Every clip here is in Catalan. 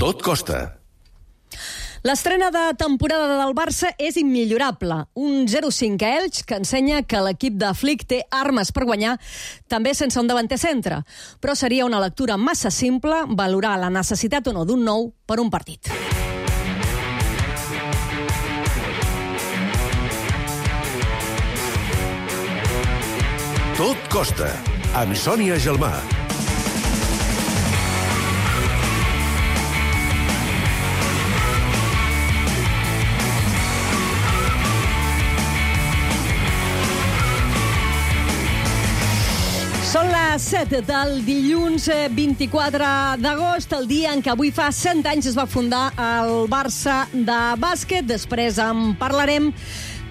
Tot costa. L'estrena de temporada del Barça és immillorable. Un 0-5 a Elx que ensenya que l'equip de Flick té armes per guanyar, també sense un davanter centre. Però seria una lectura massa simple valorar la necessitat o no d'un nou per un partit. Tot costa, amb Sònia Gelmà. Són les 7 del dilluns 24 d'agost, el dia en què avui fa 100 anys es va fundar el Barça de bàsquet. Després en parlarem.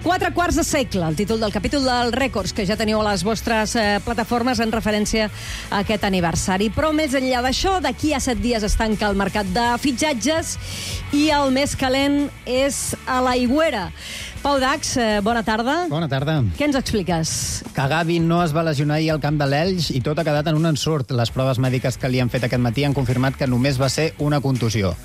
4 quarts de segle, el títol del capítol dels rècords que ja teniu a les vostres plataformes en referència a aquest aniversari. Però més enllà d'això, d'aquí a 7 dies es tanca el mercat de fitxatges i el més calent és a l'Aigüera. Pau Dax, bona tarda. Bona tarda. Què ens expliques? Que Gavi no es va lesionar ahir al camp de l'Elx i tot ha quedat en un ensurt. Les proves mèdiques que li han fet aquest matí han confirmat que només va ser una contusió.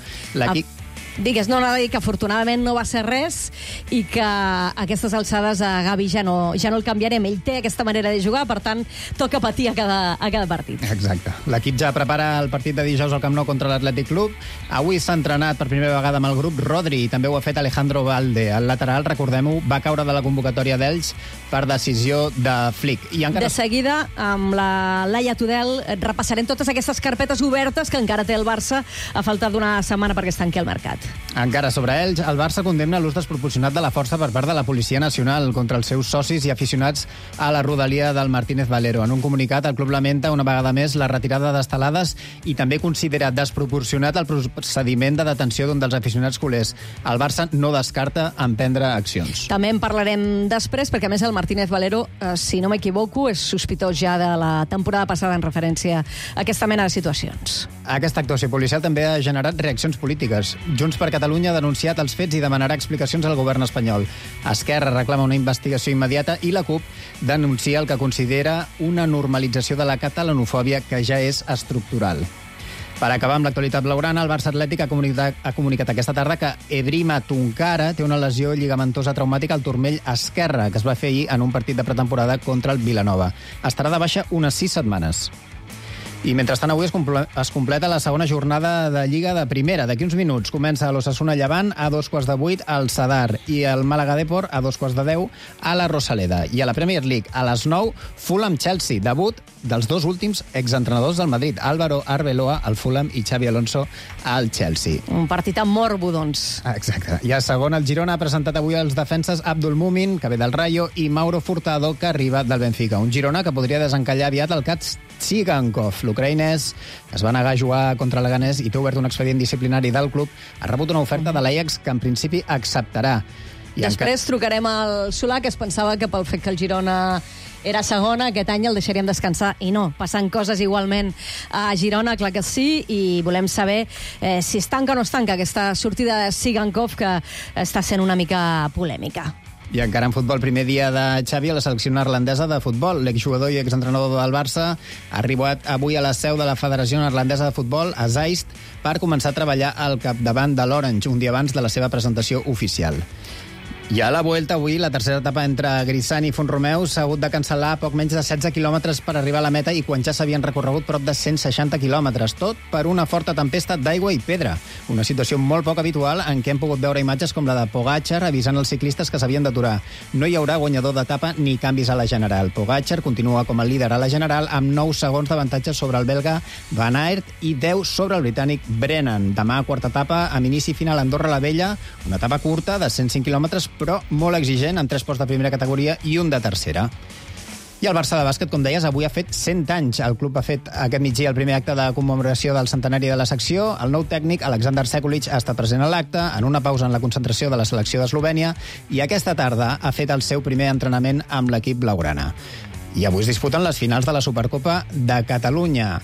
Digues, no, anava a dir que afortunadament no va ser res i que a aquestes alçades a Gavi ja no el canviarem. Ell té aquesta manera de jugar, per tant, toca patir a cada partit. Exacte. L'equip ja prepara el partit de dijous al Camp Nou contra l'Atlètic Club. Avui s'ha entrenat per primera vegada amb el grup Rodri i també ho ha fet Alejandro Valde. El lateral, recordem-ho, va caure de la convocatòria d'Elx per decisió de Flick. I encara... De seguida, amb la Laia Tudel, repassarem totes aquestes carpetes obertes que encara té el Barça a falta d'una setmana perquè es tanqui el mercat. Encara sobre ells, el Barça condemna l'ús desproporcionat de la força per part de la Policia Nacional contra els seus socis i aficionats a la rodalia del Martínez Valero. En un comunicat, el club lamenta una vegada més la retirada d'estelades i també considera desproporcionat el procediment de detenció d'un dels aficionats culers. El Barça no descarta emprendre accions. També en parlarem després, perquè a més el Martínez Valero, si no m'equivoco, és sospitós ja de la temporada passada en referència a aquesta mena de situacions. Aquesta actuació policial també ha generat reaccions polítiques. Junts per Catalunya ha denunciat els fets i demanarà explicacions al govern espanyol. Esquerra reclama una investigació immediata i la CUP denuncia el que considera una normalització de la catalanofòbia que ja és estructural. Per acabar amb l'actualitat blaugrana, el Barça Atlètic ha comunicat aquesta tarda que Ebrima Tunkara té una lesió lligamentosa traumàtica al turmell esquerre, que es va fer ahir en un partit de pretemporada contra el Vilanova. Estarà de baixa unes 6 setmanes. I mentrestant avui es completa la segona jornada de Lliga de Primera. D'aquí uns minuts comença l'Osasuna Llevant a 7:45 al Sadar i el Màlaga Depor a 7:10 a la Rosaleda. I a la Premier League, a les 9, Fulham Chelsea, debut dels dos últims exentrenadors del Madrid, Álvaro Arbeloa al Fulham i Xavi Alonso al Chelsea. Un partit amb morbo, doncs. Exacte. I a segona, el Girona ha presentat avui els defenses Abdul Mumin, que ve del Rayo, i Mauro Furtado, que arriba del Benfica. Un Girona que podria desencallar aviat el Kats Tsigankov. L'ucraïnès es va negar a jugar contra l'Leganés i té obert un expedient disciplinari del club. Ha rebut una oferta de l'Ajax que en principi acceptarà. Després trucarem al Solà, que es pensava que pel fet que el Girona era segona, aquest any el deixaríem descansar, i no, passant coses igualment a Girona, clar que sí, i volem saber si es tanca o no es tanca aquesta sortida de Tsigankov, que està sent una mica polèmica. I encara en futbol, primer dia de Xavi a la selecció neerlandesa de futbol. L'exjugador i exentrenador del Barça ha arribat avui a la seu de la Federació Neerlandesa de Futbol, a Zeist, per començar a treballar al capdavant de l'Orange, un dia abans de la seva presentació oficial. I a la Vuelta, avui, la tercera etapa entre Grisant i Font-romeu s'ha hagut de cancel·lar poc menys de 16 quilòmetres per arribar a la meta i quan ja s'havien recorregut prop de 160 quilòmetres, tot per una forta tempesta d'aigua i pedra. Una situació molt poc habitual en què hem pogut veure imatges com la de Pogačar avisant els ciclistes que s'havien d'aturar. No hi haurà guanyador d'etapa ni canvis a la general. Pogačar continua com a líder a la general amb 9 segons d'avantatge sobre el belga Van Aert i 10 sobre el britànic Brennan. Demà, quarta etapa, amb inici final a Andorra la Vella, una etapa curta de 105 quilòmetres, però molt exigent, amb 3 posts de primera categoria i un de tercera. I el Barça de bàsquet, com deies, avui ha fet 100 anys. El club ha fet aquest migdia el primer acte de commemoració del centenari de la secció. El nou tècnic, Alexander Sekulic, ha estat present a l'acte, en una pausa en la concentració de la selecció d'Eslovènia, i aquesta tarda ha fet el seu primer entrenament amb l'equip blaugrana. I avui es disputen les finals de la Supercopa de Catalunya.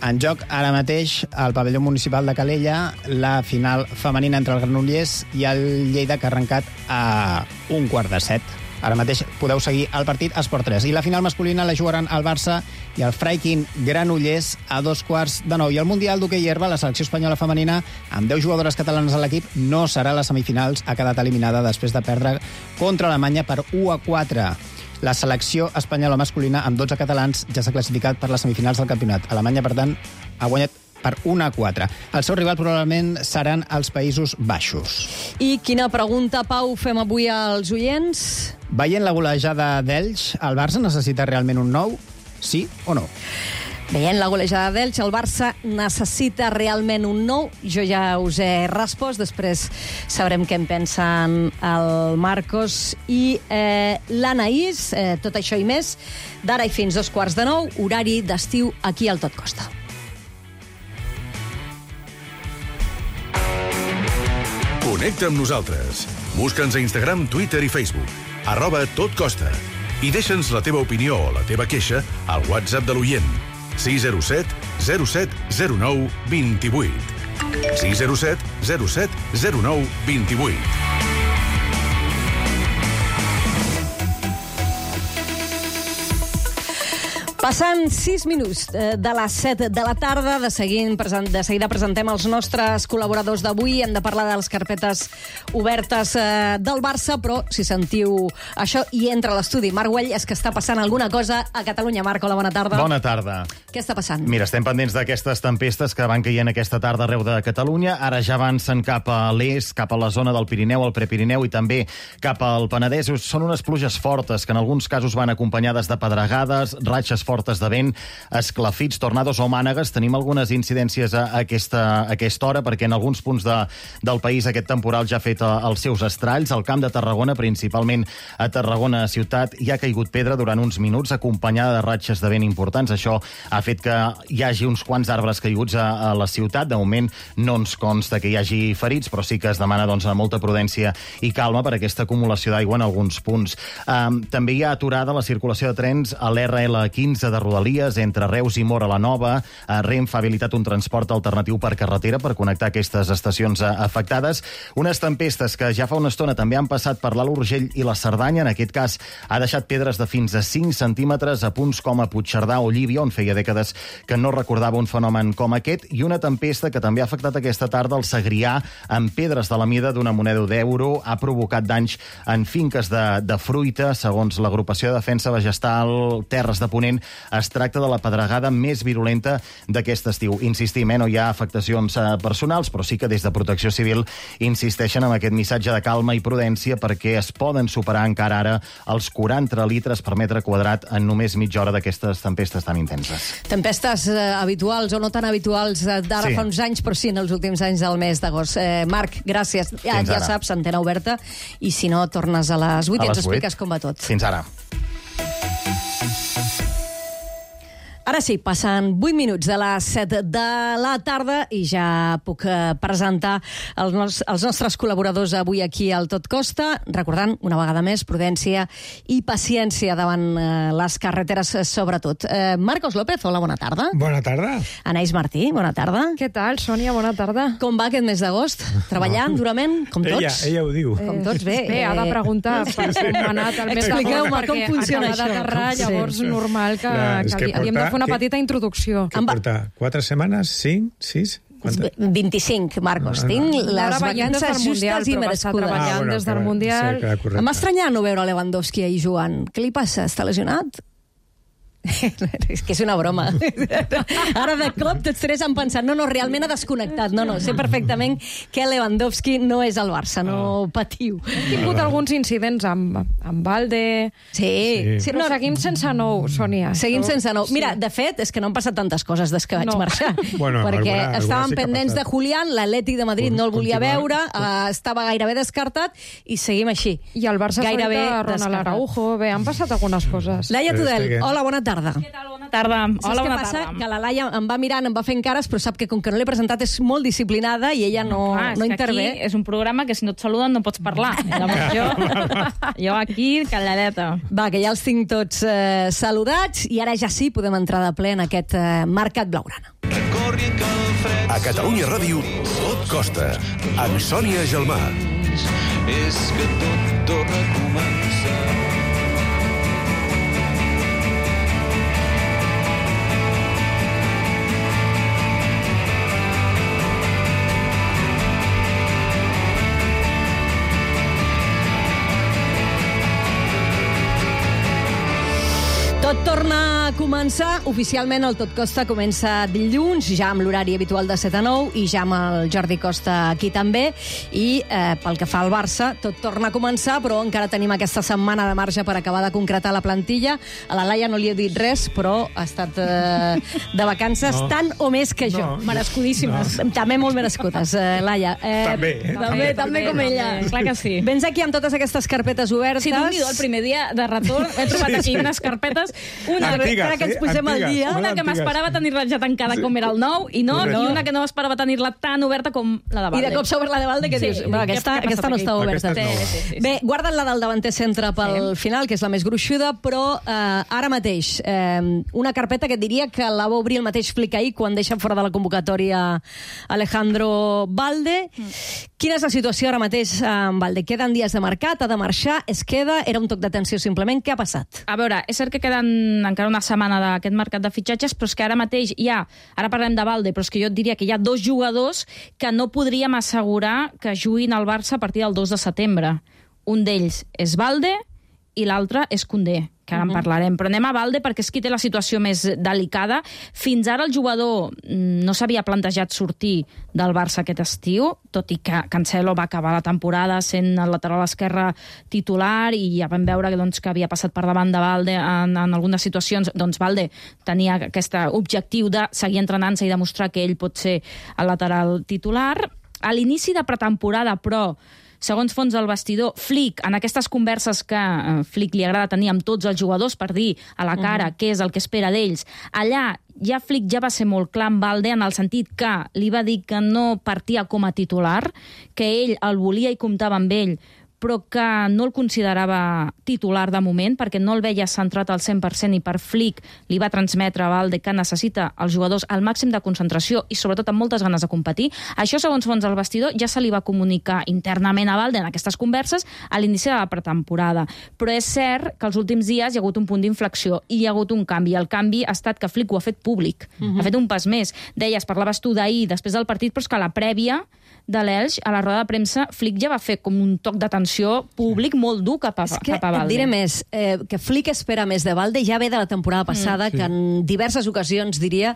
En joc ara mateix al pavelló municipal de Calella la final femenina entre el Granollers i el Lleida, que ha arrencat a 6:15 Ara mateix podeu seguir el partit a Esport 3. I la final masculina la jugaran el Barça i el Freikin Granollers a 2:15. I el Mundial d'hoquei herba, la selecció espanyola femenina, amb 10 jugadores catalanes a l'equip, no serà a les semifinals. Ha quedat eliminada després de perdre contra Alemanya per 1-4. La selecció espanyola masculina, amb 12 catalans, ja s'ha classificat per les semifinals del campionat. Alemanya, per tant, ha guanyat per 1-4. El seu rival probablement seran els Països Baixos. I quina pregunta, Pau, fem avui als oients? Veient la golejada d'Elx, el Barça necessita realment un nou? Sí o no? Veient la golejada d'Elx, el Barça necessita realment un nou. Jo ja us he respost, després sabrem què en pensen el Marcos i l'Anaïs. Tot això i més, d'ara i fins 8:45, horari d'estiu aquí al Tot Costa. Connecta amb nosaltres. Busca'ns a Instagram, Twitter i Facebook. @totcosta. I deixa'ns la teva opinió o la teva queixa al WhatsApp de l'oient. 607 07 09 28. 607 07 09 28. Passant 6 minuts de les 7 de la tarda, de seguida presentem els nostres col·laboradors d'avui. Hem de parlar de les carpetes obertes del Barça, però si sentiu això i entra a l'estudi Marc Güell, és que està passant alguna cosa a Catalunya. Marc, hola, bona tarda. Bona tarda. Què està passant? Mira, estem pendents d'aquestes tempestes que van caient aquesta tarda arreu de Catalunya. Ara ja avancen cap a l'est, cap a la zona del Pirineu, el Prepirineu i també cap al Penedès. Són unes pluges fortes que en alguns casos van acompanyades de pedregades, ratxes fortes de vent, esclafits, tornados o mànegues. Tenim algunes incidències a aquesta hora, perquè en alguns punts del país aquest temporal ja ha fet els seus estralls. Al Camp de Tarragona, principalment a Tarragona ciutat, hi ha caigut pedra durant uns minuts, acompanyada de ratxes de vent importants. Això ha fet que hi hagi uns quants arbres caiguts a la ciutat. De moment no ens consta que hi hagi ferits, però sí que es demana molta prudència i calma per aquesta acumulació d'aigua en alguns punts. També hi ha aturada la circulació de trens a l'RL15 de Rodalies entre Reus i Móra la Nova. Renfe ha habilitat un transport alternatiu per carretera per connectar aquestes estacions afectades. Unes tempestes que ja fa una estona també han passat per l'Alt Urgell i la Cerdanya. En aquest cas ha deixat pedres de fins a 5 centímetres a punts com a Puigcerdà o Llívia, on feia dècades que no recordava un fenomen com aquest. I una tempesta que també ha afectat aquesta tarda el Segrià, amb pedres de la mida d'una moneda d'euro. Ha provocat danys en finques de fruita. Segons l'agrupació de defensa vegetal Terres de Ponent, es tracta de la pedregada més virulenta d'aquest estiu. Insistim, no hi ha afectacions personals, però sí que des de Protecció Civil insisteixen en aquest missatge de calma i prudència, perquè es poden superar encara ara els 40 litres per metre quadrat en només mitja hora d'aquestes tempestes tan intenses. Tempestes habituals o no tan habituals d'ara fa uns anys, però sí en els últims anys del mes d'agost. Marc, gràcies. Ja saps, antena oberta, i si no, tornes a les 8 i ens expliques com va tot. Fins ara. Ara sí, passen 8 minuts de les 7 de la tarda i ja puc presentar els nostres col·laboradors avui aquí al Tot Costa, recordant una vegada més prudència i paciència davant les carreteres sobretot. Marcos López, hola, bona tarda. Bona tarda. Anaïs Martí, bona tarda. Què tal, Sònia? Bona tarda. Com va aquest mes d'agost? Treballant durament, com tots? Ella ho diu. Com tots, bé. Bé, ha de preguntar per com ha anat el mes d'agost. Expliqueu-me com funciona això. Perquè acaba d'aterrar, llavors normal que havíem de fer una petita introducció. Què porta? 4 setmanes? 5? 6? 25, Marcos. Tinc les vacances justes i merescudes. Treballant des del Mundial. Em va estranyar no veure Lewandowski ahir jugant. Què li passa? Està lesionat? És que és una broma. Ara de cop tots tres han pensat no, realment ha desconnectat. No, sé perfectament que Lewandowski no és al Barça, no patiu. Hem tingut alguns incidents amb Valde. Sí. Però seguim sense nou, Sònia. Seguim sense nou. Mira, de fet, és que no han passat tantes coses des que vaig marxar. Perquè estaven pendents de Julián, l'Atlètic de Madrid no el volia veure, estava gairebé descartat i seguim així. I el Barça gairebé Ronald Araujo. Bé, han passat algunes coses. Laia Tudel, hola, bona tarda. Què tal? Bona tarda. Hola, bona tarda. Passa? Que la Laia em va mirant, em va fent cares, però sap que com que no l'he presentat és molt disciplinada i ella no intervé. Aquí és un programa que si no et saluden no pots parlar. Jo aquí, calladeta. Va, que ja els tinc tots saludats i ara ja sí podem entrar de ple en aquest Mercat Blaugrana. A Catalunya Ràdio, Tot Costa, amb Sònia Gelmà. És que tot torna a començar. torna a començar. Oficialment el Tot Costa comença dilluns, ja amb l'horari habitual de 7 a 9 i ja amb el Jordi Costa aquí també. I pel que fa al Barça, tot torna a començar, però encara tenim aquesta setmana de marge per acabar de concretar la plantilla. A la Laia no li he dit res, però ha estat de vacances tant o més que jo. Merescudíssimes. També molt merescudes, Laia. També com ella. Clar que sí. Vens aquí amb totes aquestes carpetes obertes. Sí, Déu-n'hi-do, el primer dia de retorn he trobat aquí unes carpetes. Una antigues, que ens posem al dia. Una que m'esperava tenir-la ja tancada com era el nou, i una que no m'esperava tenir-la tan oberta com la de Valde. I de cop s'ha obert la de Valde, que dius, aquesta no està oberta. Bé, guarda't la del davanter centre pel final, que és la més gruixuda, però ara mateix, una carpeta que et diria que la va obrir el mateix Flick ahir quan deixa fora de la convocatòria Alejandro Valde. Quina és la situació ara mateix amb Valde? Queden dies de mercat, ha de marxar, es queda, era un toc d'atenció simplement, què ha passat? A veure, és cert que queden encara una setmana d'aquest mercat de fitxatges, però és que ara mateix hi ha, ara parlem de Valde, però és que jo et diria que hi ha 2 jugadors que no podríem assegurar que juguin al Barça a partir del 2 de setembre. Un d'ells és Valde i l'altre és Koundé, que ara en parlarem. Però anem a Valde perquè és qui té la situació més delicada. Fins ara el jugador no s'havia plantejat sortir del Barça aquest estiu, tot i que Cancelo va acabar la temporada sent el lateral esquerre titular i ja vam veure que havia passat per davant de Valde en algunes situacions. Doncs Valde tenia aquest objectiu de seguir entrenant-se i demostrar que ell pot ser el lateral titular. A l'inici de pretemporada, però, segons fons del vestidor, Flick, en aquestes converses que Flick li agrada tenir amb tots els jugadors per dir a la cara què és el que espera d'ells, allà ja Flick ja va ser molt clar amb Valde en el sentit que li va dir que no partia com a titular, que ell el volia i comptava amb ell, però que no el considerava titular de moment, perquè no el veia centrat al 100% i per Flick li va transmetre a Valde que necessita els jugadors al màxim de concentració i sobretot amb moltes ganes de competir. Això, segons fons del vestidor, ja se li va comunicar internament a Valde en aquestes converses a l'inici de la pretemporada. Però és cert que els últims dies hi ha hagut un punt d'inflexió i hi ha hagut un canvi. El canvi ha estat que Flick ho ha fet públic. Ha fet un pas més. Deies, parlaves tu d'ahir, després del partit, però és que a la prèvia de l'Elx, a la roda de premsa, Flick ja va fer com un toc d'atenció públic molt dur cap a Valde. És que et diré més, que Flick espera més de Valde, ja ve de la temporada passada, que en diverses ocasions, diria,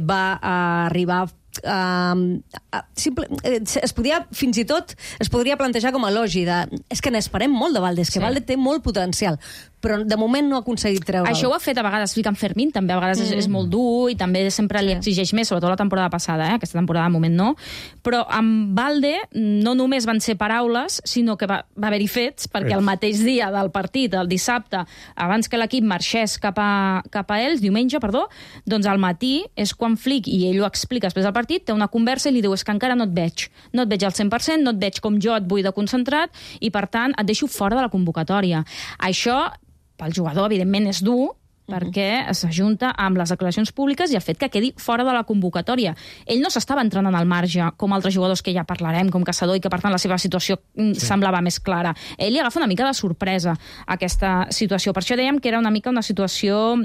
va arribar es podia, fins i tot, es podria plantejar com a elogi de, és que n'esperem molt de Valde, és que Valde té molt potencial, però de moment no ha aconseguit treure'l. Això ho ha fet a vegades Flick amb Fermín, també a vegades és molt dur i també sempre li exigeix més, sobretot la temporada passada, aquesta temporada de moment no, però amb Valde no només van ser paraules, sinó que va haver-hi fets, perquè el mateix dia del partit, el dissabte, abans que l'equip marxés cap a ells, diumenge, doncs al matí és quan Flick, i ell ho explica després del partit, té una conversa i li diu, és que encara no et veig al 100%, no et veig com jo et vull de concentrat i per tant et deixo fora de la convocatòria. Això pel jugador evidentment és dur, perquè s'ajunta amb les declaracions públiques i el fet que quedi fora de la convocatòria. Ell no s'estava entrenant al marge, com altres jugadors que ja parlarem, com Caçador, i que per tant la seva situació semblava més clara. Ell li agafa una mica de sorpresa aquesta situació. Per això dèiem que era una mica una situació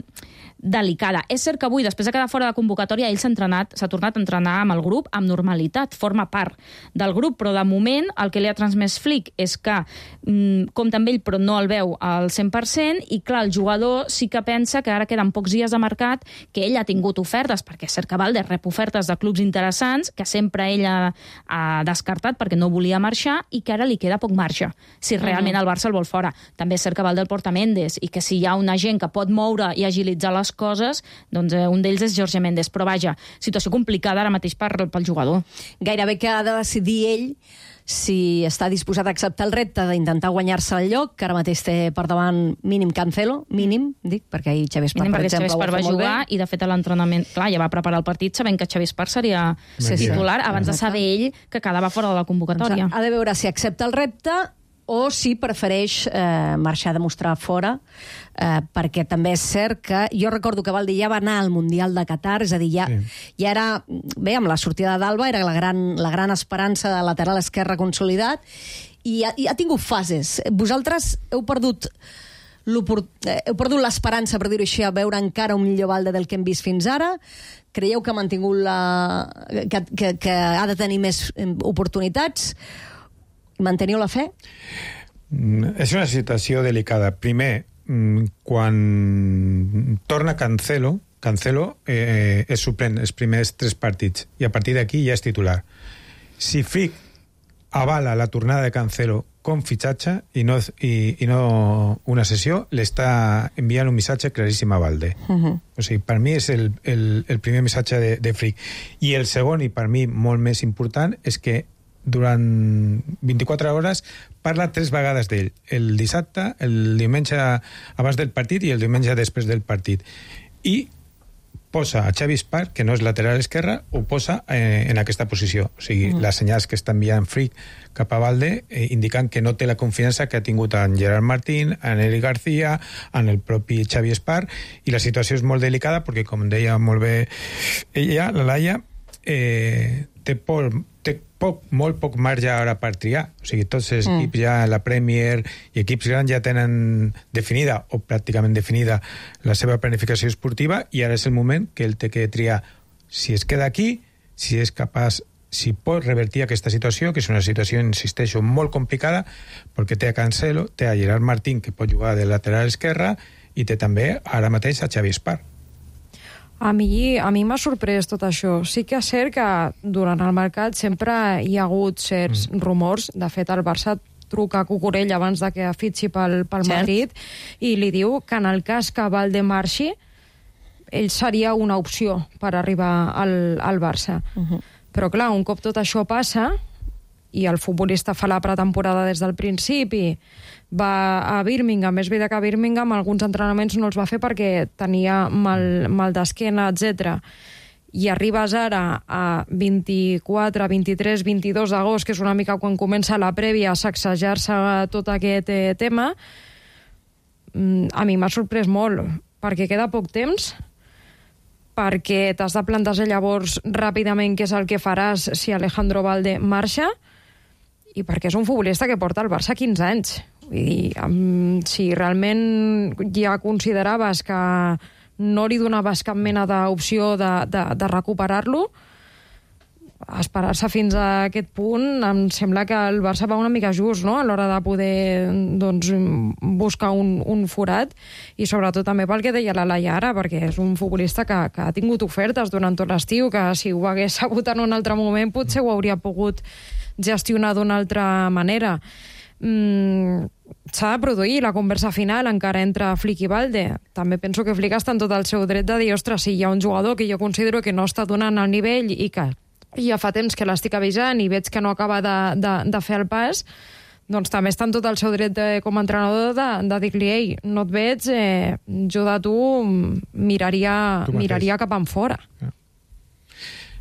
delicada. És cert que avui, després de quedar fora de convocatòria, ell s'ha tornat a entrenar amb el grup amb normalitat, forma part del grup, però de moment el que li ha transmès Flick és que compta amb ell però no el veu al 100% i clar, el jugador sí que pensa que ara queden pocs dies de mercat, que ell ha tingut ofertes, perquè és cert que Valde rep ofertes de clubs interessants, que sempre ell ha descartat perquè no volia marxar i que ara li queda poc marge, si realment el Barça el vol fora. També és cert que Valde el porta Méndez i que si hi ha un agent que pot moure i agilitzar les coses, doncs un d'ells és Jorge Méndez. Però vaja, situació complicada ara mateix pel jugador. Gairebé que ha de decidir ell si està disposat a acceptar el repte d'intentar guanyar-se el lloc, que ara mateix té per davant mínim Cancelo, mínim, dic, perquè ahir Xavi Espar, per exemple, va jugar i de fet a l'entrenament, clar, ja va preparar el partit sabent que Xavi Espar seria titular abans de saber ell que quedava fora de la convocatòria. Ha de veure si accepta el repte o si prefereix marxar de mostrar fora, perquè també és cert que jo recordo que Valde ja va anar al Mundial de Qatar, és a dir, ja era, bé, amb la sortida d'Alba era la gran esperança de lateral esquerre consolidat i ha tingut fases. Vosaltres heu perdut l'esperança, per dir-ho així, a veure encara un millor Valde del que hem vist fins ara? Creieu que ha mantingut que ha de tenir més oportunitats? Manteniu la fe? És una situació delicada. Primer, quan torna Cancelo és suplent els primers 3 partits i a partir d'aquí ja és titular. Si Flick avala la tornada de Cancelo com fitxatge i no una sessió, l'està enviant un missatge claríssim a Balde. O sigui, per mi és el primer missatge de Flick. I el segon, i per mi molt més important, és que durant 24 hores parla 3 vegades d'ell. El dissabte, el diumenge abans del partit i el diumenge després del partit. I posa a Xavi Espar, que no és lateral esquerra, ho posa en aquesta posició. O sigui, les senyals que està enviant Flick cap a Balde indiquen que no té la confiança que ha tingut en Gerard Martín, en Eli García, en el propi Xavi Espar, i la situació és molt delicada perquè, com deia molt bé ella, la Laia, té molt poc marge ara per triar. O sigui, tots els equips ja, la Premier i equips grans ja tenen definida o pràcticament definida la seva planificació esportiva i ara és el moment que ell té que triar si es queda aquí, si és capaç, si pot revertir aquesta situació, que és una situació, insisteixo, molt complicada, perquè té a Cancelo, té a Gerard Martín, que pot jugar de lateral esquerra, i té també ara mateix a Xavi Espar. A mi m'ha sorprès tot això. Sí que és cert que durant el mercat sempre hi ha hagut certs rumors. De fet, el Barça truca a Cucurell abans de que fitxi pel Madrid i li diu que en el cas que Balde marxi, ell seria una opció per arribar al Barça. Però clar, un cop tot això passa i el futbolista fa la pretemporada des del principi, va a Birmingham, és veritat que a Birmingham alguns entrenaments no els va fer perquè tenia mal d'esquena, etc. I arribes ara a 24, 23, 22 d'agost, que és una mica quan comença la prèvia a sacsejar-se tot aquest tema, a mi m'ha sorprès molt, perquè queda poc temps, perquè t'has de plantejar llavors ràpidament què és el que faràs si Alejandro Balde marxa, i perquè és un futbolista que porta al Barça 15 anys. Vull dir, si realment ja consideraves que no li donaves cap mena d'opció de recuperar-lo, esperar-se fins a aquest punt, em sembla que el Barça va una mica just, no?, a l'hora de poder buscar un forat, i sobretot també pel que deia la Laia ara, perquè és un futbolista que ha tingut ofertes durant tot l'estiu, que si ho hagués sabut en un altre moment potser ho hauria pogut gestionar d'una altra manera. S'ha de produir la conversa final encara entre Flick i Balde. També penso que Flick està en tot el seu dret de dir, ostres, si hi ha un jugador que jo considero que no està donant el nivell i que ja fa temps que l'estic avisant i veig que no acaba de fer el pas, doncs també està en tot el seu dret com a entrenador de dir-li, ei, no et veig, jo de tu miraria cap enfora.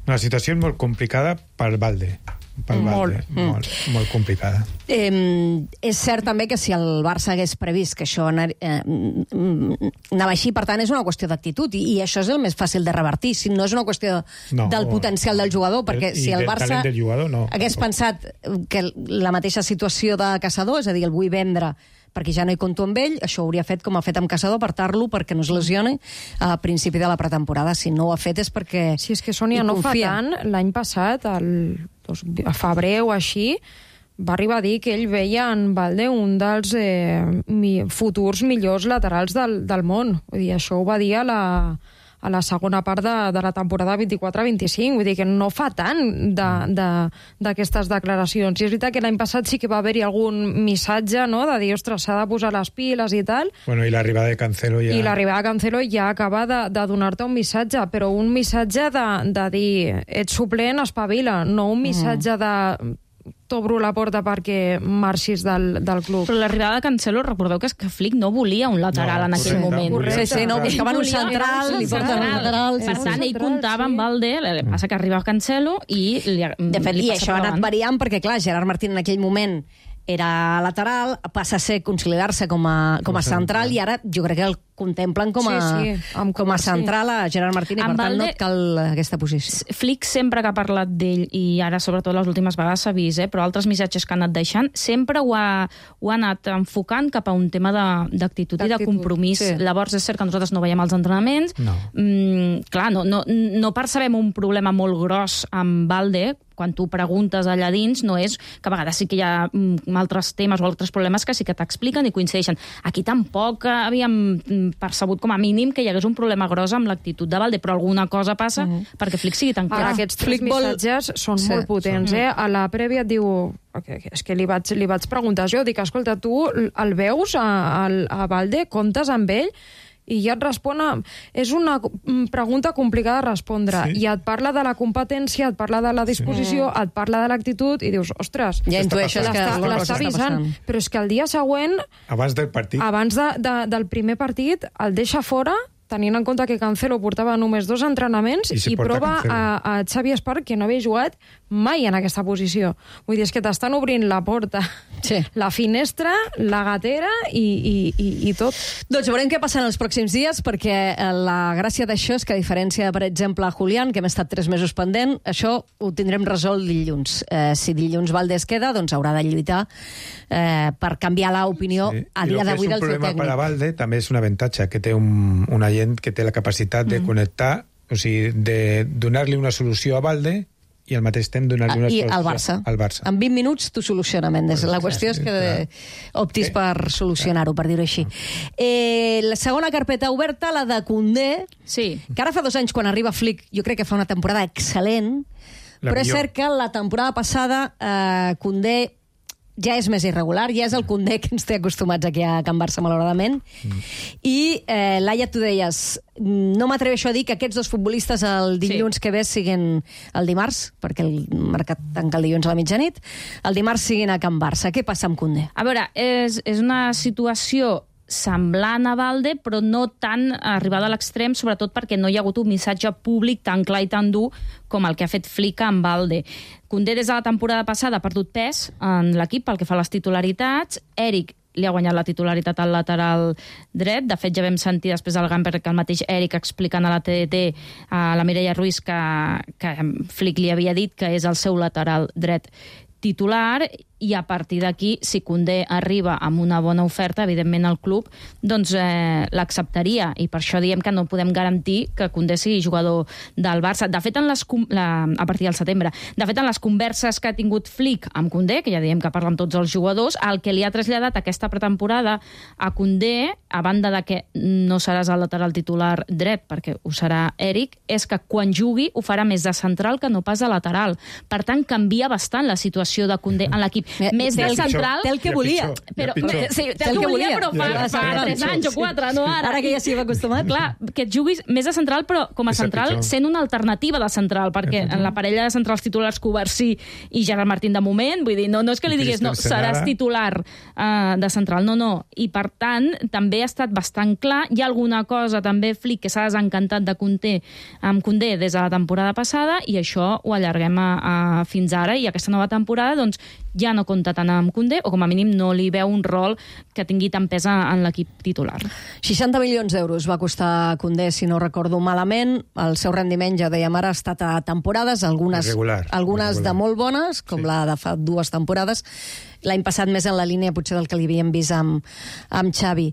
La situació és molt complicada per Balde. Molt complicada. És cert també que si el Barça hagués previst que això anava així, per tant és una qüestió d'actitud, i això és el més fàcil de revertir, si no és una qüestió del potencial del jugador, perquè si el Barça hagués pensat que la mateixa situació de Caçador, és a dir, el vull vendre perquè ja no hi compto amb ell, això ho hauria fet com ha fet amb Caçador, apartar-lo perquè no es lesioni a principi de la pretemporada. Si no ho ha fet és perquè si és que Sònia no fa tant, l'any passat, a febrer o així, va arribar a dir que ell veia en Balde un dels futurs millors laterals del món. Vull dir, això ho va dir a la segona part de la temporada 24-25. Vull dir que no fa tant d'aquestes declaracions. I és veritat que l'any passat sí que va haver-hi algun missatge, no?, de dir, ostres, s'ha de posar les piles i tal. Bueno, i l'arribada de Cancelo ja... I l'arribada de Cancelo ja acaba de donar-te un missatge, però un missatge de dir, ets suplent, espavila, no un missatge de... t'obro la porta perquè marxis del club. Però l'arribada de Cancelo, recordeu que és que Flick no volia un lateral en aquell moment. Sí, no, buscaven un central, li porten un lateral. Per tant, ell comptava amb Balde, el que passa que arriba Cancelo i de fet, i això ha anat variant perquè, clar, Gerard Martín en aquell moment era lateral, passa a ser consolidar-se com a central, i ara jo crec que el contemplen com a central a Gerard Martín, i per tant no et cal aquesta posició. Flick sempre que ha parlat d'ell, i ara sobretot les últimes vegades s'ha vist, però altres missatges que ha anat deixant, sempre ho ha anat enfocant cap a un tema d'actitud i de compromís. Sí. Llavors és cert que nosaltres no veiem els entrenaments. No. Clar, no percebem un problema molt gros amb Balde quan tu preguntes allà dins, no és que a vegades sí que hi ha altres temes o altres problemes que sí que t'expliquen i coincideixen. Aquí tampoc havíem percebut com a mínim que hi hagués un problema gros amb l'actitud de Valde, però alguna cosa passa perquè Flick sigui tan clar. Aquests tres missatges són molt potents. A la prèvia et diu... És que li vaig preguntar jo, dic, escolta, tu el veus a Valde, comptes amb ell? I ja et respon... És una pregunta complicada de respondre. I et parla de la competència, et parla de la disposició, et parla de l'actitud, i dius, ostres, ja intueixes que l'està avisant. Però és que el dia següent... Abans del partit. Abans del primer partit, el deixa fora, tenint en compte que Cancelo portava només 2 entrenaments i prova a Xavi Espart, que no havia jugat mai en aquesta posició. Vull dir, és que t'estan obrint la porta, la finestra, la gatera i tot. Doncs veurem què passa en els pròxims dies, perquè la gràcia d'això és que, a diferència, per exemple, a Julián, que hem estat 3 mesos pendent, això ho tindrem resolt dilluns. Si dilluns Valde es queda, doncs haurà de lluitar per canviar l'opinió a dia d'avui del seu tècnic. I el que és un problema per a Valde també és un avantatge, que té una gent que té la capacitat de connectar, o sigui, de donar-li una solució a Valde i al mateix temps donar-li una solució al Barça. En 20 minuts t'ho soluciona, Mendes. La qüestió és que optis per solucionar-ho, per dir-ho així. La segona carpeta oberta, la de Koundé, que ara fa 2 anys, quan arriba Flick, jo crec que fa una temporada excel·lent, però és cert que la temporada passada Koundé ja és més irregular, ja és el Koundé que ens té acostumats aquí a Can Barça, malauradament. I, Laia, tu deies, no m'atreveixo a dir que aquests 2 futbolistes el dilluns que ve siguin el dimarts, perquè el mercat tanca el dilluns a la mitjanit, el dimarts siguin a Can Barça. Què passa amb Koundé? A veure, és una situació semblant a Valde, però no tan arribada a l'extrem, sobretot perquè no hi ha hagut un missatge públic tan clar i tan dur com el que ha fet Flick amb Valde. Koundé des de la temporada passada ha perdut pes en l'equip pel que fa a les titularitats. Eric li ha guanyat la titularitat al lateral dret. De fet, ja vam sentir després del Gamper que el mateix Eric explicant a la TDT, a la Mireia Ruiz, que Flick li havia dit que és el seu lateral dret titular, i a partir d'aquí, si Koundé arriba amb una bona oferta, evidentment el club doncs l'acceptaria, i per això diem que no podem garantir que Koundé sigui jugador del Barça. De fet, a partir del setembre, de fet, en les converses que ha tingut Flick amb Koundé, que ja diem que parla amb tots els jugadors, el que li ha traslladat aquesta pretemporada a Koundé, a banda de que no seràs el lateral titular dret, perquè ho serà Eric, és que quan jugui ho farà més de central que no pas de lateral. Per tant, canvia bastant la situació de Koundé en l'equip. Més de central... Té el que volia. Sí, té el que volia, però fa 3 anys o 4, no ara. Ara que ja s'hi va acostumat. Clar, que et juguis més de central, però com a central sent una alternativa de central, perquè en la parella de centrals titulars Covarsí i Gerard Martín de moment, vull dir, no és que li digués, no, seràs titular de central, no. I per tant, també ha estat bastant clar. Hi ha alguna cosa també, Flick, que s'ha desencantat de amb Koundé des de la temporada passada, i això ho allarguem fins ara, i aquesta nova temporada doncs ja no compta tant amb Koundé, o com a mínim no li veu un rol que tingui tan pes en l'equip titular. 60 milions d'euros va costar Koundé, si no recordo malament. El seu rendiment, ja dèiem ara, ha estat a temporades, algunes de molt bones, com la de fa 2 temporades. L'any passat més en la línia potser del que li havíem vist amb Xavi.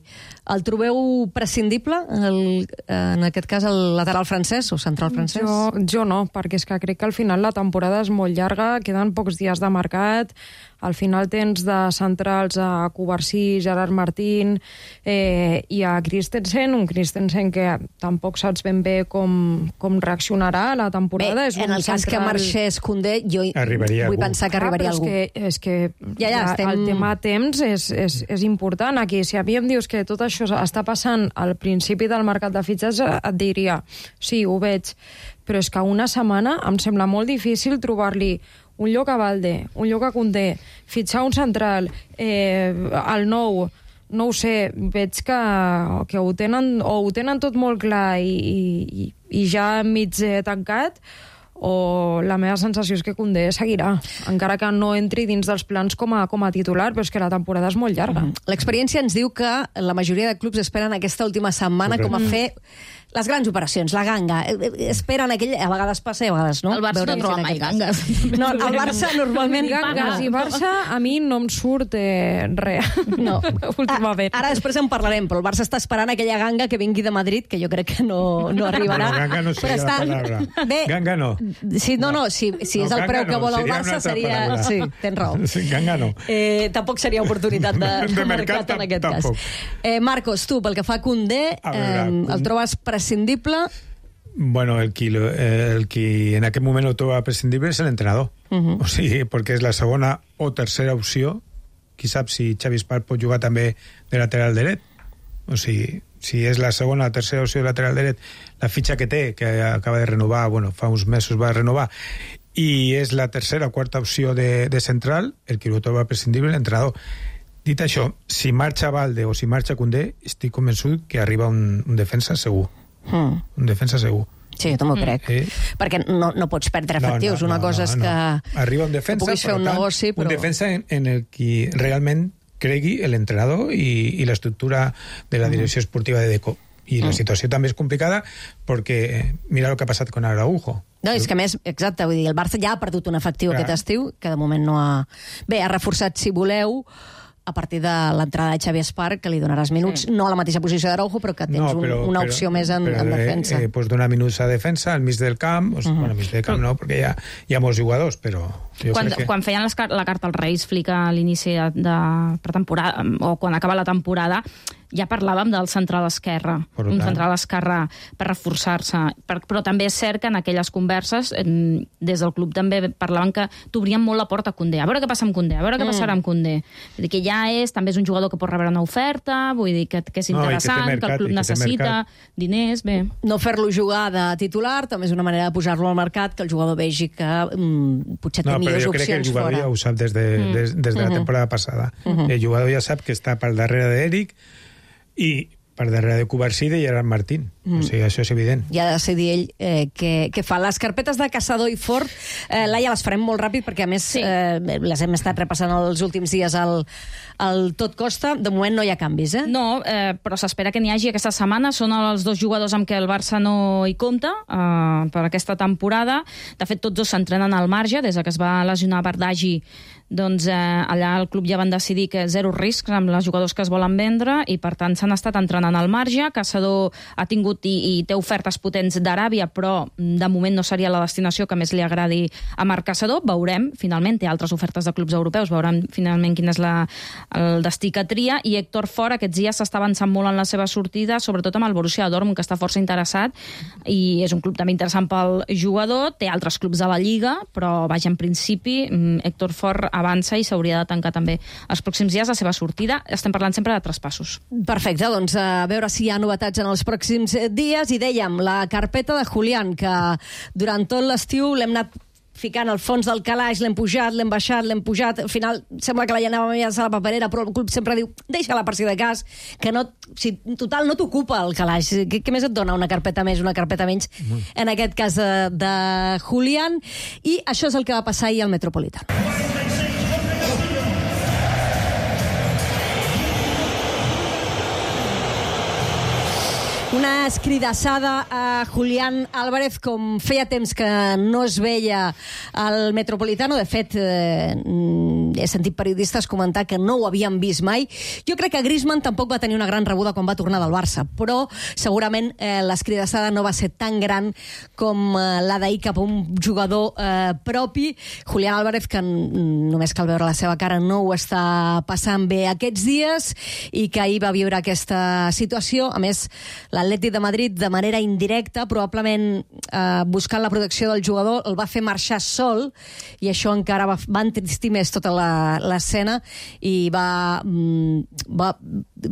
El trobeu prescindible, en aquest cas, el lateral francès o central francès? Jo no, perquè és que crec que al final la temporada és molt llarga, queden pocs dies de mercat, al final tens de centrals a Covarsí, Gerard Martín i a Christensen, un Christensen que tampoc saps ben bé com reaccionarà a la temporada. Bé, en el cas que marxés Koundé, jo vull pensar que arribaria algú. És que el tema temps és important aquí. Si a mi em dius que tot això està passant al principi del mercat de fitxatges, et diria, sí, ho veig, però és que una setmana em sembla molt difícil trobar-li un lloc a Valde, un lloc a Koundé, fitxar un central, el nou, no ho sé, veig que ho tenen tot molt clar i ja mig tancat, o la meva sensació és que Koundé seguirà, encara que no entri dins dels plans com a titular, però és que la temporada és molt llarga. L'experiència ens diu que la majoria de clubs esperen aquesta última setmana com a fer Les grans operacions, la ganga, esperen aquell... A vegades passa i a vegades no. El Barça no troba mai gangues. No, el Barça normalment... Gangues i Barça, a mi no em surt res. No. Últimament. Ara després en parlarem, però el Barça està esperant aquella ganga que vingui de Madrid, que jo crec que no arribarà. Bueno, ganga no seria la palabra. Bé, ganga no. Sí, si és el preu que vol el Barça, seria... Sí, tens raó. Sí, ganga no. Tampoc seria oportunitat de mercat en aquest cas. Marcos, tu, pel que fa a Koundé, el trobes prescindible? Bueno, el que en aquest moment ho troba prescindible és l'entrenador. O sigui, perquè és la segona o tercera opció. Qui sap si Xavi Espart pot jugar també de lateral dret. O sigui, si és la segona o tercera opció de lateral dret, la fitxa que té, que acaba de renovar, bueno, fa uns mesos va renovar, i és la tercera o quarta opció de central, el que ho troba prescindible l'entrenador. Dit això, si marxa Balde o si marxa Koundé, estic convençut que arriba un defensa segur. Un defensa segur. Sí, jo també ho crec. Perquè no pots perdre efectius. Una cosa és que arriba un defensa, puguis fer un negoci, però... Un defensa en el que realment cregui l'entrenador i l'estructura de la direcció esportiva de Deco. I la situació també és complicada perquè mira el que ha passat con Araujo. No, és que a més, exacte, vull dir, el Barça ja ha perdut un efectiu aquest estiu, que de moment no ha... Bé, ha reforçat, si voleu, a partir de l'entrada de Xavi Espart, que li donaràs minuts, no a la mateixa posició d'Araujo, però que tens una opció més en defensa. Pues donar minuts a defensa, al mig del camp, bueno, al mig del camp no, perquè hi ha molts jugadors, però... Quan feien la carta als Reis, Flick a l'inici de pretemporada, o quan acaba la temporada, ja parlàvem del central esquerre, un central esquerre per reforçar-se, però també és cert que en aquelles converses des del club també parlaven que t'obrien molt la porta a Koundé, a veure què passa amb Koundé, a veure què passarà amb Koundé. Vull dir que ja també és un jugador que pot rebre una oferta, vull dir que és interessant, que el club necessita diners, bé. No fer-lo jugar de titular també és una manera de posar-lo al mercat, que el jugador vegi que potser té millors opcions fora. No, però jo crec que el jugador ja ho sap des de la temporada passada. El jugador ja sap que està per darrere d'Eric i per darrere de Cubarsí i Gerard Martín. O sigui, això és evident. Ja ha de decidir ell què fa. Les carpetes de Caçador i Fort, Laia, les farem molt ràpid perquè, a més, les hem estat repassant els últims dies al Tot Costa. De moment no hi ha canvis, No, però s'espera que n'hi hagi aquesta setmana. Són els dos jugadors amb què el Barça no hi compta per aquesta temporada. De fet, tots dos s'entrenen al marge. Des que es va lesionar Bardagi, doncs allà el club ja van decidir que zero riscs amb els jugadors que es volen vendre i, per tant, s'han estat entrenant al marge. Caçador ha tingut i té ofertes potents d'Aràbia, però de moment no seria la destinació que més li agradi a Marc Caçador. Veurem, finalment, té altres ofertes de clubs europeus, veurem finalment quin és el destí que tria. I Héctor Fort aquests dies s'està avançant molt en la seva sortida, sobretot amb el Borussia Dortmund, que està força interessat, i és un club també interessant pel jugador. Té altres clubs a la Lliga, però, vaja, en principi, Héctor Fort avança i s'hauria de tancar també els pròxims dies la seva sortida. Estem parlant sempre de traspassos. Perfecte, doncs a veure si hi ha novetats en els pròxims dies. I dèiem, la carpeta de Julián, que durant tot l'estiu l'hem anat ficant al fons del calaix, l'hem pujat, l'hem baixat, l'hem pujat, al final sembla que la llenàvem a la paperera, però el club sempre diu, deixa-la per si de cas, que no, si total no t'ocupa el calaix. Què més et dona una carpeta més, una carpeta menys, en aquest cas de Julián? I això és el que va passar ahir al Metropolitano. Una escridassada a Julián Álvarez, com feia temps que no es veia al Metropolitano. De fet, he sentit periodistes comentar que no ho havien vist mai. Jo crec que Griezmann tampoc va tenir una gran rebuda quan va tornar del Barça, però segurament l'escridassada no va ser tan gran com la d'ahir cap a un jugador propi. Julián Álvarez, que només cal veure la seva cara, no ho està passant bé aquests dies i que ahir va viure aquesta situació. A més, l'Atlètic de Madrid, de manera indirecta, probablement buscant la protecció del jugador, el va fer marxar sol, i això encara va entristir més tota l'escena i va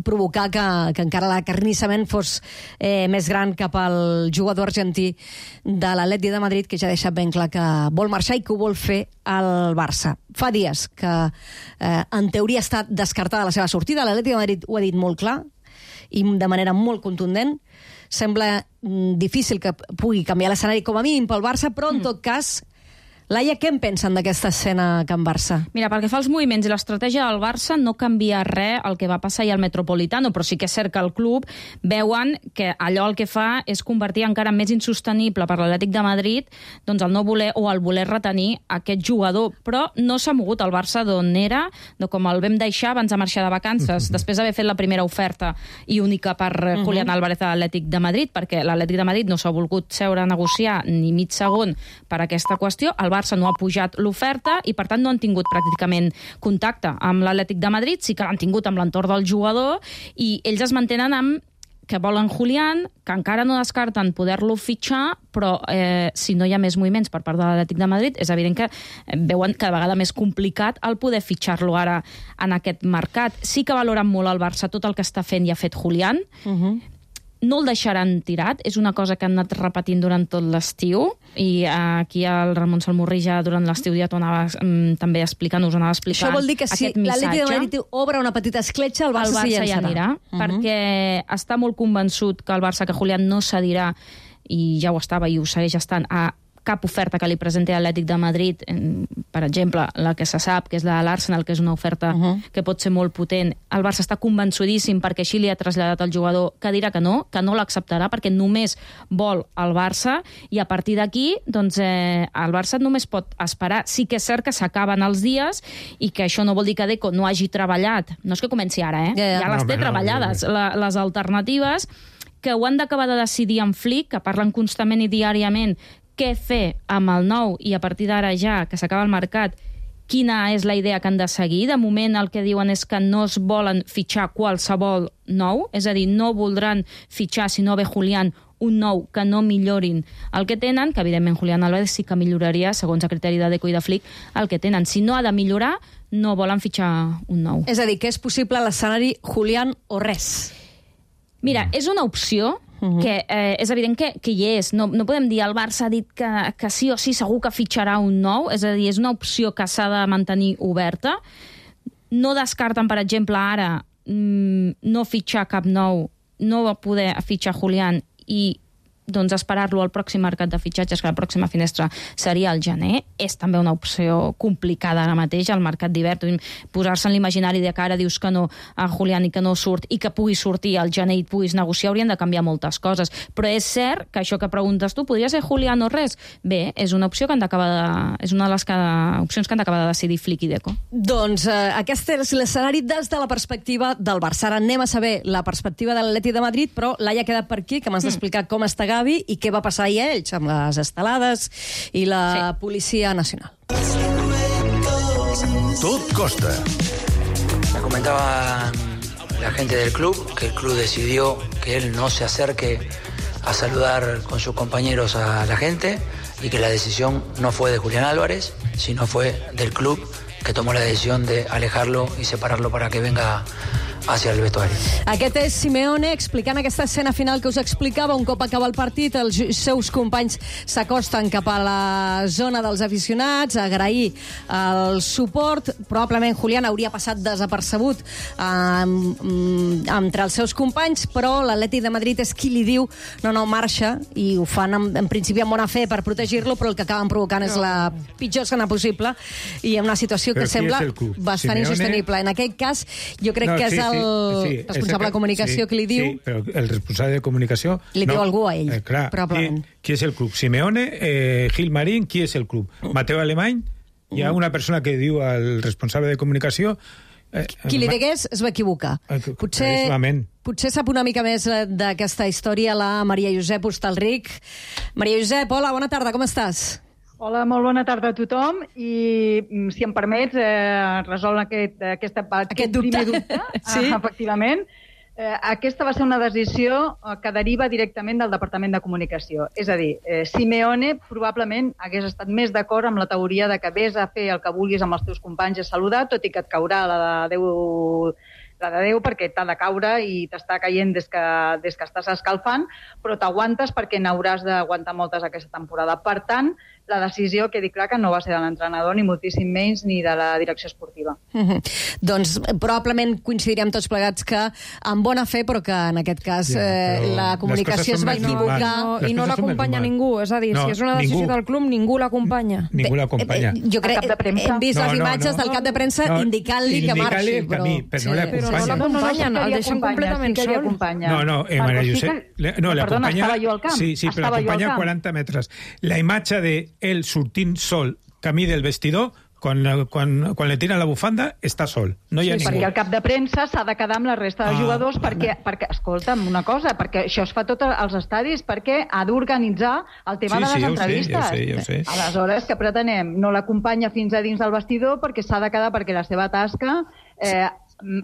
provocar que encara l'acarnissament fos més gran cap al jugador argentí de l'Atlètic de Madrid, que ja ha deixat ben clar que vol marxar i que ho vol fer al Barça. Fa dies que en teoria està descartada la seva sortida. L'Atlètic de Madrid ho ha dit molt clar i de manera molt contundent. Sembla difícil que pugui canviar l'escenari, com a mínim pel Barça, però en tot cas Laia, què en pensen d'aquesta escena a Can Barça? Mira, pel que fa als moviments i l'estratègia del Barça, no canvia res el que va passar ahir al Metropolitano, però sí que és cert que el club veuen que allò el que fa és convertir encara més insostenible per l'Atlètic de Madrid doncs el no voler o el voler retenir aquest jugador. Però no s'ha mogut el Barça d'on era, de com el vam deixar abans de marxar de vacances, després d'haver fet la primera oferta i única per Julián Álvarez a l'Atlètic de Madrid, perquè l'Atlètic de Madrid no s'ha volgut seure a negociar ni mig segon per aquesta qüestió. El Barça no ha pujat l'oferta i, per tant, no han tingut pràcticament contacte amb l'Atlètic de Madrid, sí que l'han tingut amb l'entorn del jugador, i ells es mantenen amb que volen Julián, que encara no descarten poder-lo fitxar, però si no hi ha més moviments per part de l'Atlètic de Madrid, és evident que veuen cada vegada més complicat el poder fitxar-lo ara en aquest mercat. Sí que valoren molt el Barça tot el que està fent i ha fet Julián, no el deixaran tirat, és una cosa que han anat repetint durant tot l'estiu, i aquí el Ramon Salmurri ja durant l'estiu ja t'ho anava també explicant, us anava explicant. Això vol dir que si l'Atlètic de Madrid obre una petita escletxa, el Barça s'hi llançarà. Anirà, perquè està molt convençut que el Barça, que Julián no cedirà, i ja ho estava i ho segueix estant, a cap oferta que li presenti l'Atlètic de Madrid, per exemple, la que se sap, que és la de l'Arsenal, que és una oferta que pot ser molt potent. El Barça està convençudíssim, perquè així li ha traslladat al jugador, que dirà que no l'acceptarà, perquè només vol el Barça, i a partir d'aquí, doncs, el Barça només pot esperar. Sí que és cert que s'acaben els dies, i que això no vol dir que Deco no hagi treballat. No és que comenci ara, ja les té treballades, les alternatives, que ho han d'acabar de decidir en Flick, que parlen constantment i diàriament què fer amb el nou, i a partir d'ara ja, que s'acaba el mercat, quina és la idea que han de seguir. De moment el que diuen és que no es volen fitxar qualsevol nou, és a dir, no voldran fitxar, si no ve Julián, un nou que no millorin el que tenen, que evidentment Julián Álvarez sí que milloraria, segons el criteri de Deco i de Flick, el que tenen. Si no ha de millorar, no volen fitxar un nou. És a dir, que és possible l'escenari Julián o res? Mira, és una opció que és evident que hi és. No podem dir el Barça ha dit que sí o sí segur que fitxarà un nou, és a dir, és una opció que s'ha de mantenir oberta. No descarten, per exemple, ara no fitxar cap nou, no poder fitxar Julián i doncs esperar-lo al pròxim mercat de fitxatges, que la pròxima finestra seria al gener. És també una opció complicada ara mateix, al mercat d'hivern. Posar-se en l'imaginari de que ara dius que no a Julián i que no surt, i que pugui sortir al gener i puguis negociar, haurien de canviar moltes coses. Però és cert que això que preguntes tu, podria ser Julián o res? Bé, és una opció que han d'acabar és una de les opcions que han d'acabar de decidir Flick i Deco. Doncs aquest és l'escenari des de la perspectiva del Barça. Ara anem a saber la perspectiva de l'Atlètic de Madrid, però Laia ha quedat per aquí, que m'has d'explicar com està Gavi i què va passar ahir a ells amb les estelades i la Policia Nacional. Tot costa. Me comentaba la gente del club que el club decidió que él no se acerque a saludar con sus compañeros a la gente y que la decisión no fue de Julián Álvarez, sino fue del club, que tomó la decisión de alejarlo y separarlo para que venga hacia el vestuari. Aquest és Simeone explicant aquesta escena final que us explicava. Un cop acaba el partit, els seus companys s'acosten cap a la zona dels aficionats a agrair el suport. Probablement Julián hauria passat desapercebut entre els seus companys, però l'Atlètic de Madrid és qui li diu no, marxa, i ho fan en principi amb bona fe per protegir-lo, però el que acaben provocant és la pitjor escena possible i en una situació que sembla bastant insostenible. En aquest cas, jo crec que és el responsable de comunicació que li diu... Sí, però el responsable de comunicació... Li diu algú a ell, clar, probablement. Qui és el club? Simeone, Gil Marín, qui és el club? Mateu Alemany? Hi ha una persona que diu al responsable de comunicació... Qui li digués es va equivocar. Potser sap una mica més d'aquesta història la Maria Josep Hostalric. Maria Josep, hola, bona tarda, com estàs? Hola, molt bona tarda a tothom, i si em permets, resol aquest primer dubte. Sí? Efectivament. Aquesta va ser una decisió que deriva directament del Departament de Comunicació. És a dir, Simeone probablement hagués estat més d'acord amb la teoria de que vés a fer el que vulguis amb els teus companys i a saludar, tot i que et caurà la de Déu perquè t'ha de caure i t'està caient des que estàs escalfant, però t'aguantes perquè n'hauràs d'aguantar moltes aquesta temporada. Per tant, la decisió, quedi clar que no va ser de l'entrenador, ni moltíssim menys, ni de la direcció esportiva. Doncs probablement coincidirem tots plegats que en bona fe, però que en aquest cas la comunicació es va equivocar. I no l'acompanya ningú, és a dir, si és una decisió del club, ningú l'acompanya. Ningú l'acompanya. Jo crec que hem vist les imatges del cap de premsa indicant-li que marxi. Però no l'acompanyen, el deixen completament sol. No, Maria Josep... Perdona, estava jo al camp. Sí, però l'acompanya 40 metres. La imatge d'ell sortint sol camí del vestidor, quan le tira la bufanda, està sol. No hi ha ningú. Perquè el cap de premsa s'ha de quedar amb la resta de jugadors perquè, escolta'm, una cosa, perquè això es fa tot als estadis, perquè ha d'organitzar el tema de les entrevistes. Ja ho sé. Aleshores, què pretenem? No l'acompanya fins a dins del vestidor perquè s'ha de quedar, perquè la seva tasca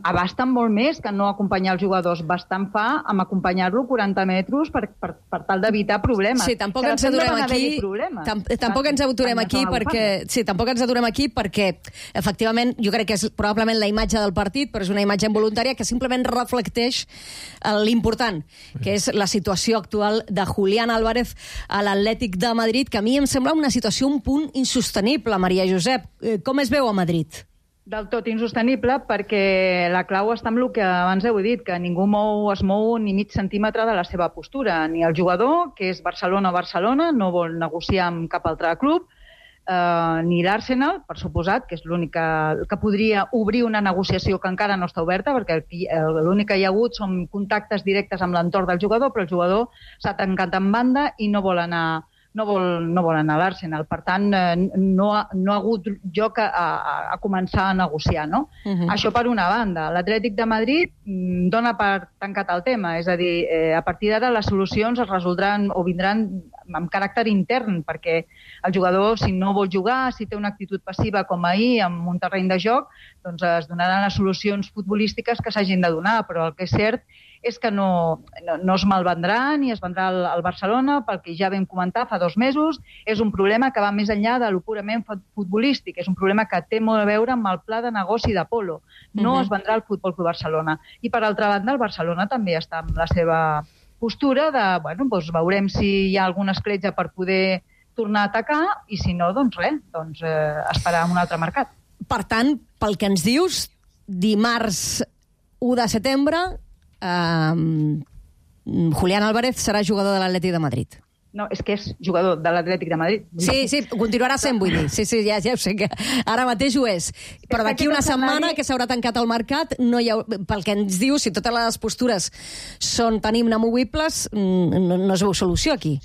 abasta molt més que no acompanyar els jugadors. Bastant fa amb acompanyar-lo 40 metres per tal d'evitar problemes. Sí, tampoc ens aturem aquí. Tampoc ens aturem aquí perquè... Sí, tampoc ens aturem aquí perquè, efectivament, jo crec que és probablement la imatge del partit, però és una imatge involuntària que simplement reflecteix l'important, que és la situació actual de Julián Álvarez a l'Atlètic de Madrid, que a mi em sembla una situació un punt insostenible, Maria Josep. Com es veu a Madrid? Del tot insostenible, perquè la clau està en el que abans heu dit, que ningú es mou ni mig centímetre de la seva postura. Ni el jugador, que és Barcelona, no vol negociar amb cap altre club, ni l'Arsenal, per suposat, que és l'únic que podria obrir una negociació que encara no està oberta, perquè l'únic que hi ha hagut són contactes directes amb l'entorn del jugador, però el jugador s'ha tancat en banda i no vol anar a l'Arsenal. Per tant, no ha hagut lloc a començar a negociar, no? Això per una banda. L'Atlètic de Madrid dona per tancat el tema, és a dir, a partir d'ara les solucions es resoldran o vindran amb caràcter intern, perquè el jugador, si no vol jugar, si té una actitud passiva com ahir en un terreny de joc, doncs es donaran les solucions futbolístiques que s'hagin de donar, però el que és cert és que no es malvendrà ni es vendrà al Barcelona, pel que ja vam comentar fa 2 mesos. És un problema que va més enllà de lo purament futbolístic, és un problema que té molt a veure amb el pla de negoci d'Apolo. No es vendrà al Futbol Club Barcelona. I per altra banda, el Barcelona també està amb la seva postura de, doncs veurem si hi ha alguna escletxa per poder tornar a atacar i si no, doncs res, esperar un altre mercat. Per tant, pel que ens dius, dimarts 1 de setembre Julián Álvarez serà jugador de l'Atlètic de Madrid. No, és que és jugador de l'Atlètic de Madrid. Sí, continuarà sent, vull dir. Sí, ja ho sé, que ara mateix ho és. Però d'aquí una setmana que s'haurà tancat el mercat, pel que ens diu, si totes les postures són tan inamovibles, no es veu solució aquí.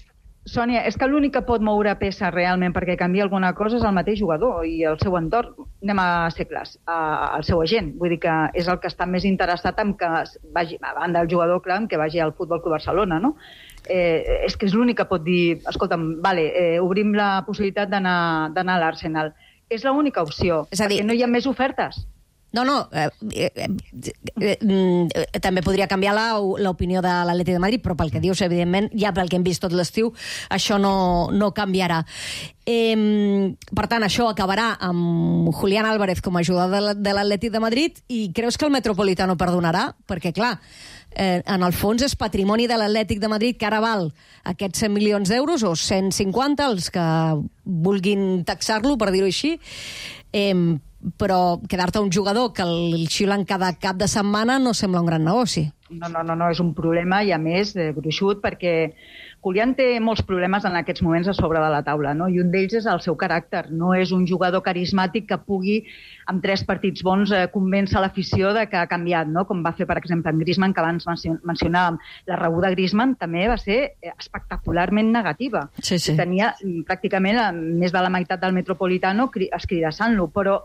Sònia, és que l'únic que pot moure peça realment perquè canvia alguna cosa és el mateix jugador i el seu entorn. Anem a ser clars, el seu agent. Vull dir que és el que està més interessat en que vagi, a banda del jugador, clar, que vagi al Futbol Club Barcelona, no? És que és l'únic que pot dir, escolta'm, obrim la possibilitat d'anar a l'Arsenal. És l'única opció, perquè no hi ha més ofertes. No, també podria canviar l'opinió de l'Atlètic de Madrid, però pel que dius, evidentment, ja pel que hem vist tot l'estiu, això no canviarà. Per tant, això acabarà amb Julián Álvarez com a jugador de l'Atlètic de Madrid, i creus que el Metropolitano perdonarà? Perquè, clar, en el fons és patrimoni de l'Atlètic de Madrid que ara val aquests 100 milions d'euros o 150, els que vulguin taxar-lo, per dir-ho així, però quedar-te un jugador que el xiulen cada cap de setmana no sembla un gran negoci. No, és un problema, i a més, gruixut, perquè Julián té molts problemes en aquests moments a sobre de la taula, no? I un d'ells és el seu caràcter. No és un jugador carismàtic que pugui, amb 3 partits bons, convèncer l'afició de que ha canviat, no? Com va fer, per exemple, en Griezmann, que abans mencionàvem. La rebuda de Griezmann també va ser espectacularment negativa. Sí. Tenia pràcticament més de la meitat del Metropolitano escridassant-lo, però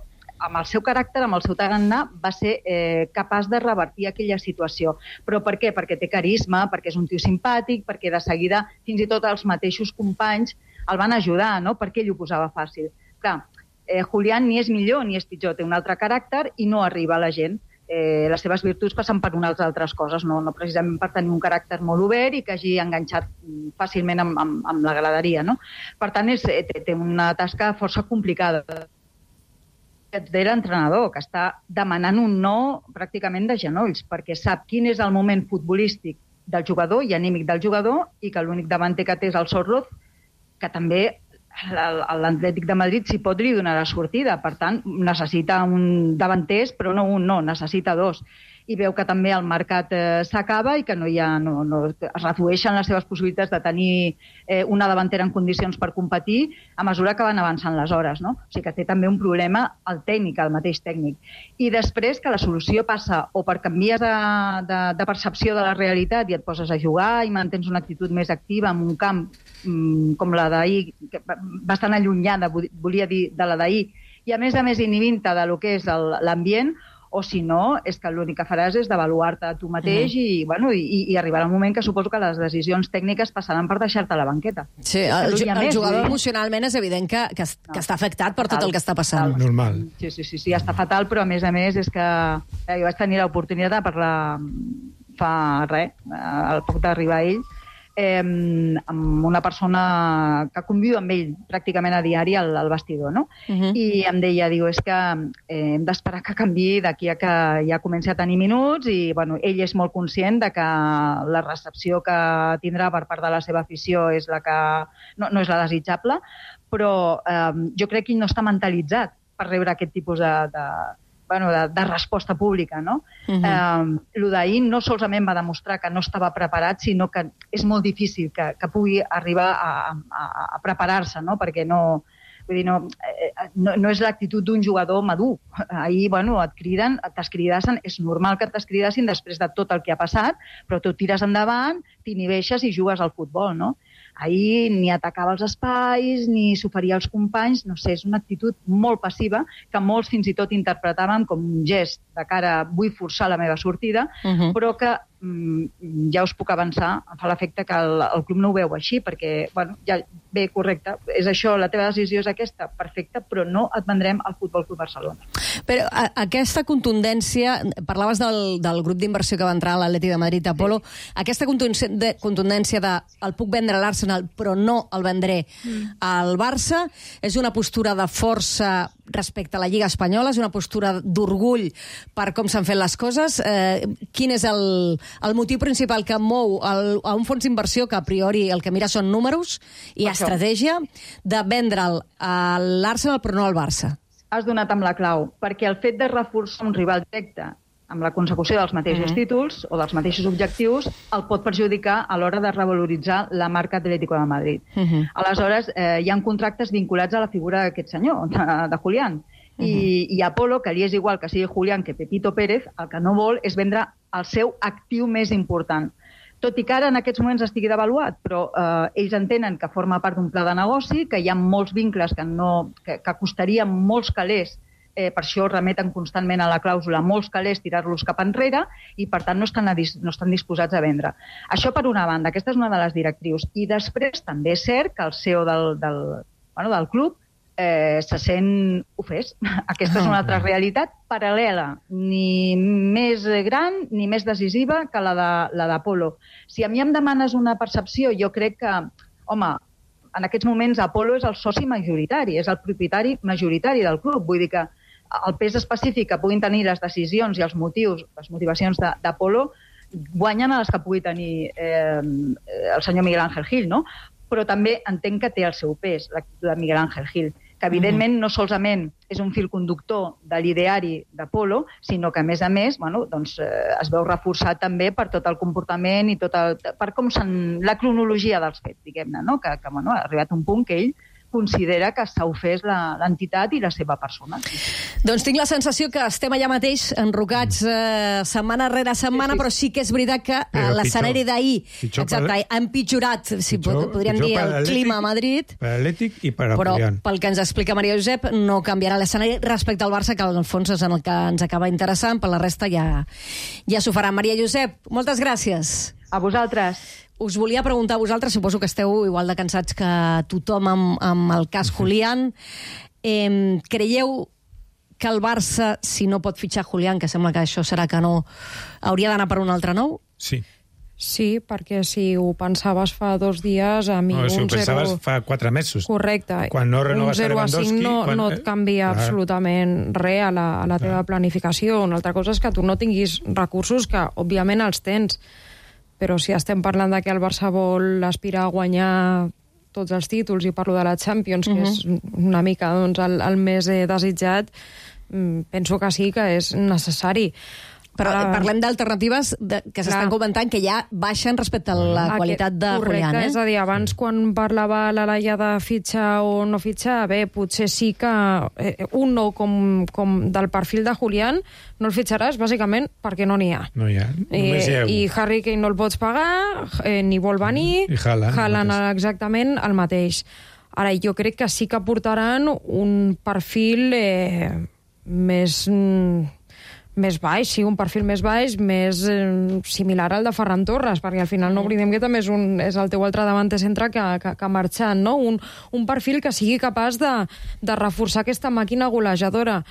amb el seu caràcter, amb el seu tarannà, va ser capaç de revertir aquella situació. Però per què? Perquè té carisma, perquè és un tio simpàtic, perquè de seguida fins i tot els mateixos companys el van ajudar, no? Perquè ell ho posava fàcil. Clar, Julián ni és millor ni és pitjor, té un altre caràcter i no arriba a la gent. Les seves virtuts passen per unes altres coses, no precisament per tenir un caràcter molt obert i que hagi enganxat fàcilment amb la graderia, no? Per tant, té una tasca força complicada de l'entrenador, que està demanant un no pràcticament de genolls, perquè sap quin és el moment futbolístic del jugador i anímic del jugador, i que l'únic davanter que té és el Sorloth, que també l'Atlètic de Madrid, si pot, li donarà sortida. Per tant, necessita un davanters, però no un, necessita dos. I veu que també el mercat s'acaba i que es redueixen les seves possibilitats de tenir una davantera en condicions per competir a mesura que van avançant les hores, no? O sigui que té també un problema el tècnic, el mateix tècnic. I després que la solució passa o per canvies de percepció de la realitat i et poses a jugar i mantens una actitud més activa en un camp com la d'ahir, bastant allunyada, volia dir, de la d'ahir, i a més inhibint-te de lo que és l'ambient, o si no, és que l'únic que faràs és devaluar-te a tu mateix i arribarà un moment que suposo que les decisions tècniques passaran per deixar-te a la banqueta. Sí, el jugador emocionalment és evident que està afectat per tot el que està passant. Normal. Sí, està fatal, però a més és que jo vaig tenir l'oportunitat de parlar fa al poc d'arribar ell, amb una persona que conviu amb ell pràcticament a diari al vestidor, no? I em deia, és que hem d'esperar que canviï d'aquí a que ja comenci a tenir minuts i, ell és molt conscient de que la recepció que tindrà per part de la seva afició és la que no és la desitjable, però jo crec que ell no està mentalitzat per rebre aquest tipus de resposta pública, no? Lo d'ahir no solament va demostrar que no estava preparat, sinó que és molt difícil que pugui arribar a preparar-se, no? Perquè no és l'actitud d'un jugador madur. Ahir, et criden, t'escridassen, és normal que t'escridassin després de tot el que ha passat, però tu tires endavant, t'inhibeixes i jugues al futbol, no? Ahir ni atacava els espais, ni s'oferia als companys, no sé, és una actitud molt passiva que molts fins i tot interpretàvem com un gest de cara a vull forçar la meva sortida, però que ja us puc avançar, em fa l'efecte que el club no ho veu així, perquè, bé, correcte, és això, la teva decisió és aquesta, perfecte, però no et vendrem al Futbol Club Barcelona. Però aquesta contundència, parlaves del grup d'inversió que va entrar a l'Atlètic de Madrid, Apolo, aquesta contundència de el puc vendre a l'Arsenal, però no el vendré al Barça, és una postura de força respecte a la Lliga Espanyola, és una postura d'orgull per com s'han fet les coses. Quin és el motiu principal que mou a un fons d'inversió que a priori el que mira són números i estratègia de vendre'l a l'Arsenal però no al Barça? Has donat amb la clau, perquè el fet de reforçar un rival directe amb la consecució dels mateixos títols o dels mateixos objectius el pot perjudicar a l'hora de revaloritzar la marca Atlético de Madrid. Aleshores, hi ha contractes vinculats a la figura d'aquest senyor, de Julián. I Apolo, que li és igual que sigui Julián que Pepito Pérez, el que no vol és vendre el seu actiu més important. Tot i que ara en aquests moments estigui devaluat, però ells entenen que forma part d'un pla de negoci, que hi ha molts vincles que costarien molts calés, per això remeten constantment a la clàusula molts calés tirar-los cap enrere i per tant no estan disposats a vendre. Això per una banda, aquesta és una de les directrius. I després també és cert que el CEO del club se sent ofès. Aquesta és una altra realitat paral·lela, ni més gran ni més decisiva que la d'Apolo. Si a mi em demanes una percepció, jo crec que, home, en aquests moments Apolo és el soci majoritari, és el propietari majoritari del club. Vull dir que el pes específic que puguin tenir les decisions i els motius, les motivacions d'Apolo, guanyen a les que pugui tenir el senyor Miguel Ángel Gil, no? Però també entenc que té el seu pes, l'actitud de Miguel Ángel Gil, que evidentment no solament és un fil conductor de l'ideari d'Apolo, sinó que, a més, es veu reforçat també per tot el comportament i per com la cronologia dels fets, diguem-ne, no? Que ha arribat un punt que ell considera que s'ha ofès l'entitat i la seva persona. Doncs tinc la sensació que estem allà mateix, enrocats setmana rere setmana, però sí que és veritat que l'escenari d'ahir ha empitjorat, si podríem dir, el clima a Madrid. Per Atlètic i per Però Julián. pel que ens explica Maria Josep, no canviarà l'escenari respecte al Barça, que en el fons és en el que ens acaba interessant, per la resta ja s'ho farà. Maria Josep, moltes gràcies. A vosaltres. Us volia preguntar a vosaltres, suposo que esteu igual de cansats que tothom amb el cas Julián. Creieu que el Barça, si no pot fitxar Julián, que sembla que això serà que no, hauria d'anar per un altre nou? Sí. Sí, perquè si ho pensaves fa 2 dies, a mi si ho pensaves fa 4 mesos. Correcte. Quan no renoves un 0 a 5 no et canvia absolutament res a la teva planificació. Una altra cosa és que tu no tinguis recursos, que òbviament els tens, però si estem parlant de que el Barça vol aspirar a guanyar tots els títols, i parlo de la Champions, que és una mica doncs, el més desitjat, penso que sí que és necessari. Però parlem d'alternatives que s'estan comentant que ja baixen respecte a la qualitat de Julián. Correcte, és a dir, abans quan parlava la Laia de fitxar o no fitxar, bé, potser sí que un nou com del perfil de Julián no el fitxaràs bàsicament perquè no n'hi ha. No hi ha, només hi ha un. I Harry Kane no el pots pagar, ni vol venir, i Haaland exactament el mateix. Ara, jo crec que sí que portaran un perfil més baix, sí, un perfil més baix, més similar al de Ferran Torres, perquè al final no oblidem que també és el teu altre davanter centre que ha marxat, no? Un perfil que sigui capaç de reforçar aquesta màquina golejadora,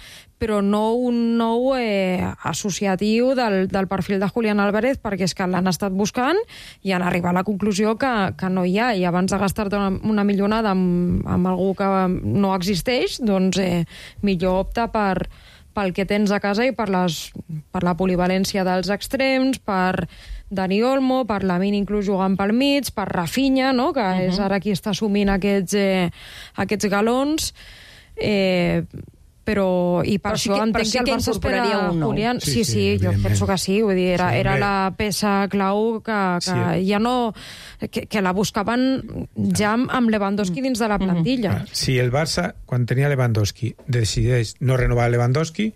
però no un nou associatiu del perfil de Julián Álvarez, perquè és que l'han estat buscant i han arribat a la conclusió que no hi ha, i abans de gastar-te una millonada amb algú que no existeix, doncs millor opta pel que tens a casa i per la polivalència dels extrems, per Dani Olmo, per Lamine inclús jugant pel mig, per Rafinha, no? Que és ara qui està assumint aquests galons, però això entenc que el Barça espera Julián. Sí, jo penso que sí, vull dir, era la peça clau que ja no... que la buscaven ja amb Lewandowski dins de la plantilla. Si el Barça, quan tenia Lewandowski, decideix no renovar Lewandowski,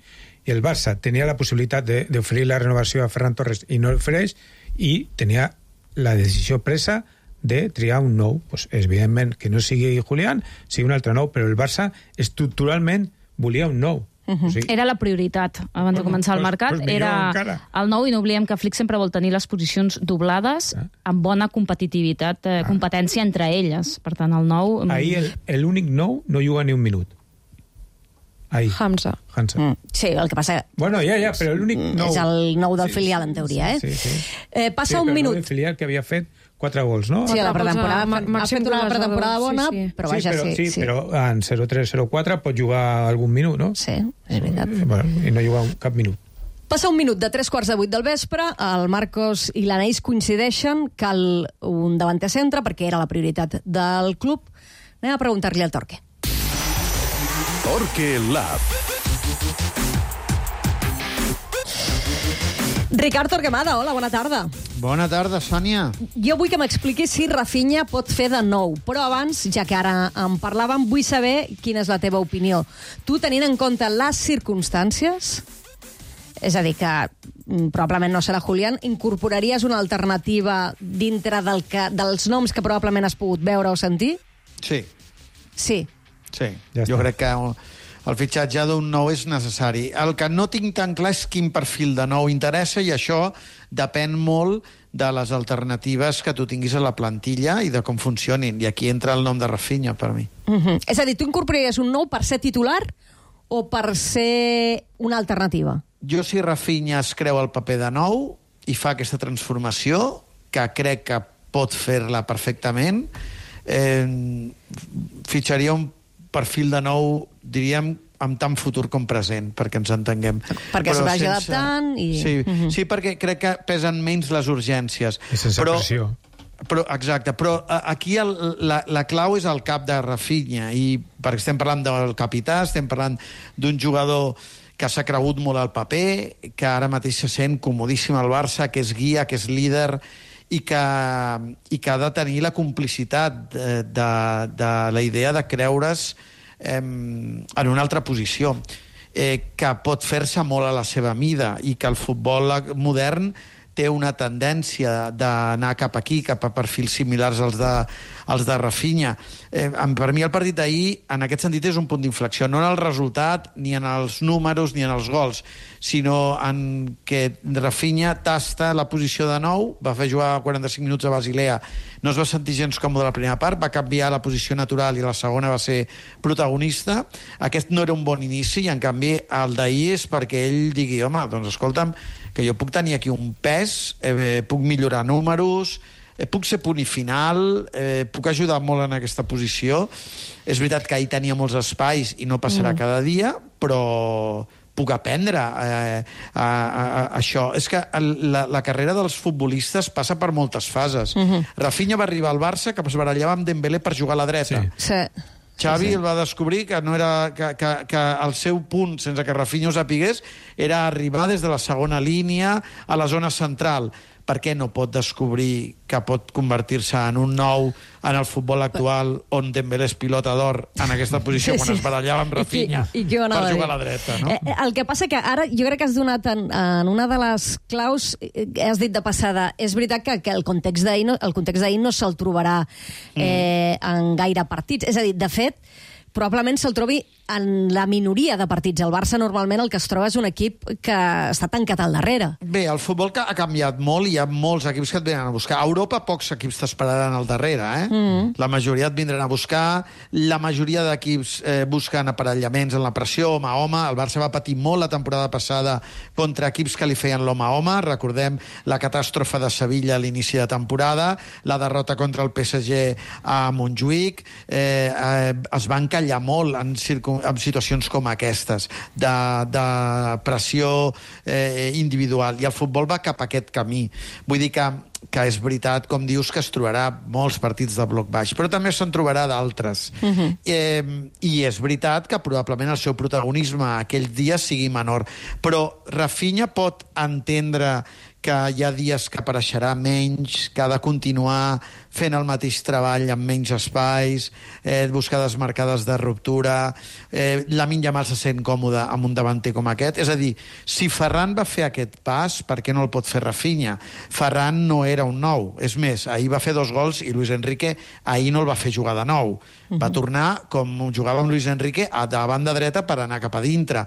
i el Barça tenia la possibilitat d'oferir la renovació a Ferran Torres i no l'ofereix, i tenia la decisió presa de triar un nou. Pues, evidentment que no sigui Julián, sigui un altre nou, però el Barça estructuralment volia un nou. O sigui, era la prioritat abans de començar el mercat, era el nou, i no oblidem que Flick sempre vol tenir les posicions doblades amb bona competitivitat, competència entre elles. Per tant, el nou... Ahir l'únic nou no juga ni un minut. Ahir. Hamza. Sí, el que passa... Bueno, ja, però l'únic nou... És el nou del filial, en teoria, Passa un minut. El filial que havia fet 4 gols, no? Sí, la pretemporada. Ha fet una pretemporada bona, però vaja, sí. Però en 0-3-0-4 pot jugar algun minut, no? Sí, és veritat. I no juga cap minut. Passa un minut de 3:45 del vespre, el Marcos i l'Anaïs coincideixen, cal un davanter centre, perquè era la prioritat del club. Anem a preguntar-li al Torque. Torque Lab. Ricard Torquemada, hola, bona tarda. Bona tarda, Sònia. Jo vull que m'expliquis si Rafinha pot fer de nou, però abans, ja que ara en parlàvem, vull saber quina és la teva opinió. Tu, tenint en compte les circumstàncies, és a dir, que probablement no serà Julián, incorporaries una alternativa dintre dels noms que probablement has pogut veure o sentir? Sí. Sí. Sí, jo crec que el fitxatge d'un nou és necessari. El que no tinc tan clar és quin perfil de nou interessa, i això depèn molt de les alternatives que tu tinguis a la plantilla i de com funcionin. I aquí entra el nom de Rafinha, per mi. És a dir, tu incorporaries un nou per ser titular o per ser una alternativa? Jo, si Rafinha es creu el paper de nou i fa aquesta transformació, que crec que pot fer-la perfectament, fitxaria un perfil de nou, diríem, amb tant futur com present, perquè ens entenguem. Perquè es vagi adaptant i... Sí, perquè crec que pesen menys les urgències. I sense pressió. Exacte, però aquí la clau és el cap de Rafinha, i perquè estem parlant del capità, estem parlant d'un jugador que s'ha cregut molt al paper, que ara mateix se sent comodíssim al Barça, que és guia, que és líder, i que ha de tenir la complicitat de la idea de creure's en una altra posició, que pot fer-se molt a la seva mida, i que el futbol modern té una tendència d'anar cap aquí, cap a perfils similars als de Rafinha. Per mi el partit d'ahir, en aquest sentit, és un punt d'inflexió, no en el resultat, ni en els números, ni en els gols, sinó en que Rafinha tasta la posició de nou, va fer jugar 45 minuts a Basilea, no es va sentir gens còmode a la primera part, va canviar la posició natural i la segona va ser protagonista. Aquest no era un bon inici, i en canvi el d'ahir és perquè ell digui, home, doncs escolta'm, que jo puc tenir aquí un pes, puc millorar números, puc ser punt i final, puc ajudar molt en aquesta posició. És veritat que ahir tenia molts espais i no passarà cada dia, però puc aprendre això. És que la carrera dels futbolistes passa per moltes fases. Rafinha va arribar al Barça que es barallava amb Dembélé per jugar a la dreta. Sí. Xavi el va descobrir que no era que el seu punt, sense que Rafinha ho sapigués, era arribar des de la segona línia a la zona central. Per què no pot descobrir que pot convertir-se en un nou en el futbol actual on Dembélé és pilota d'or en aquesta posició quan es barallava amb Rafinha per jugar a la dreta, no? El que passa que ara jo crec que has donat en una de les claus, has dit de passada, és veritat que el context d'ahir no se'l trobarà en gaire partits. És a dir, de fet, probablement se'l trobi en la minoria de partits. El Barça normalment el que es troba és un equip que està tancat al darrere. Bé, el futbol ha canviat molt i hi ha molts equips que et venen a buscar. A Europa pocs equips t'esperaran al darrere, La majoria et vindran a buscar, la majoria d'equips busquen aparellaments en la pressió, home a home. El Barça va patir molt la temporada passada contra equips que li feien l'home a home. Recordem la catàstrofe de Sevilla a l'inici de temporada, la derrota contra el PSG a Montjuïc. Es van callar molt en situacions com aquestes, de pressió individual, i el futbol va cap a aquest camí. Vull dir que és veritat, com dius, que es trobarà molts partits de bloc baix, però també se'n trobarà d'altres. I és veritat que probablement el seu protagonisme aquell dia sigui menor, però Rafinha pot entendre que hi ha dies que apareixerà menys, que ha de continuar fent el mateix treball amb menys espais, buscar desmarcades de ruptura. Lamine Yamal se sent còmode amb un davanter com aquest. És a dir, si Ferran va fer aquest pas, per què no el pot fer Rafinha? Ferran no era un nou. És més, ahir va fer 2 gols i Luis Enrique ahir no el va fer jugar de nou. Va tornar, com jugava amb Luis Enrique, a la banda dreta per anar cap a dintre.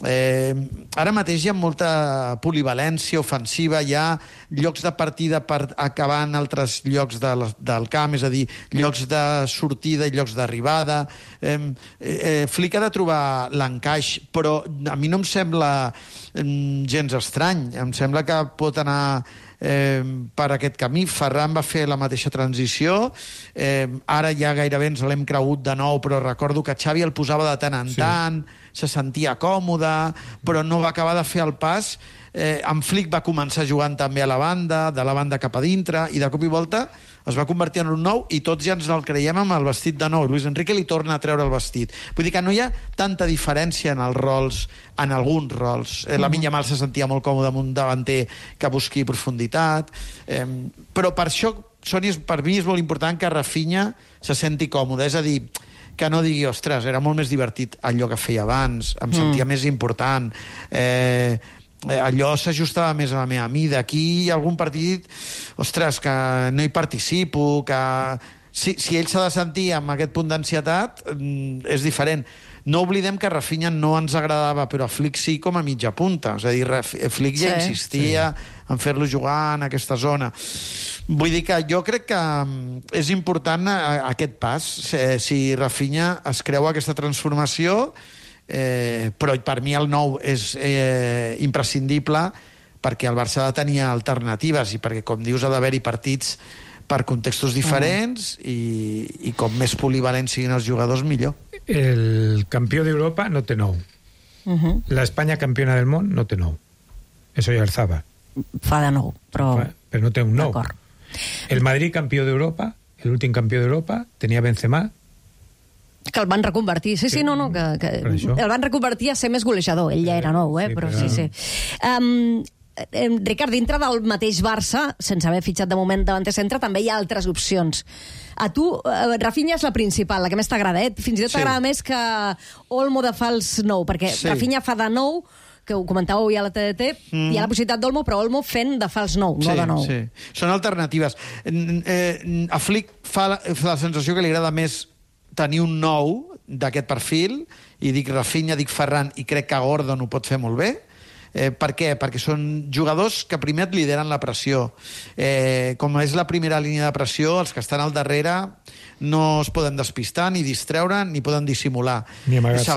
Ara mateix hi ha molta polivalència ofensiva, hi ha llocs de partida per acabar en altres llocs del camp, és a dir, llocs de sortida i llocs d'arribada. Flick ha de trobar l'encaix, però a mi no em sembla gens estrany, em sembla que pot anar per aquest camí. Ferran va fer la mateixa transició, ara ja gairebé ens l'hem cregut de nou, però recordo que Xavi el posava de tant en tant, se sentia còmode, però no va acabar de fer el pas. En Flick va començar jugant també a la banda, de la banda cap a dintre, i de cop i volta es va convertir en un nou i tots ja ens el creiem amb el vestit de nou. Luis Enrique li torna a treure el vestit. Vull dir que no hi ha tanta diferència en els rols, en alguns rols. Lamine Yamal se sentia molt còmode amb un davanter que busqui profunditat. Però per això, Soni, per mi és molt important que Rafinha se senti còmode. És a dir, que no digui, ostres, era molt més divertit allò que feia abans, em sentia més important, allò s'ajustava més a la meva mida. Aquí hi ha algun partit, ostres, que no hi participo, que si ell s'ha de sentir amb aquest punt d'ansietat, és diferent. No oblidem que Rafinha no ens agradava, però a Flick sí com a mitja punta. És a dir, Flick ja insistia en fer-lo jugar en aquesta zona. Vull dir que jo crec que és important aquest pas. Si Rafinha es creu aquesta transformació, però per mi el nou és imprescindible perquè el Barça ha de tenir alternatives i perquè, com dius, ha d'haver-hi partits per contextos diferents i com més polivalents siguin els jugadors, millor. El campió d'Europa no té nou. La Espanya campiona del món no té nou. Eso ja el Zaba. Fa de nou, però no té un nou. El Madrid campió d'Europa, l'últim campió d'Europa, tenia Benzema, que el van reconvertir. Sí, no, que el van reconvertir a ser més golejador. Ell ja era nou, però sí. Ricard, dintre del mateix Barça, sense haver fitxat de moment davanter centre, també hi ha altres opcions. A tu, Rafinha és la principal, la que més t'agrada, Fins i tot t'agrada més que Olmo de fals nou, perquè Rafinha fa de nou, que ho comentàveu avui a la TDT, hi ha la possibilitat d'Olmo, però Olmo fent de fals nou, no de nou. Sí. Són alternatives. A Flick fa la sensació que li agrada més tenir un nou d'aquest perfil, i dic Rafinha, dic Ferran, i crec que Gordon ho pot fer molt bé. Per què? Perquè són jugadors que primer et lideren la pressió. Com és la primera línia de pressió, els que estan al darrere no es poden despistar, ni distreure, ni poden dissimular. Ni amagar-se.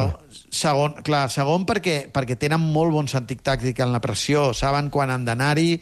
Segon perquè tenen molt bon sentit tàctic en la pressió, saben quan han d'anar-hi,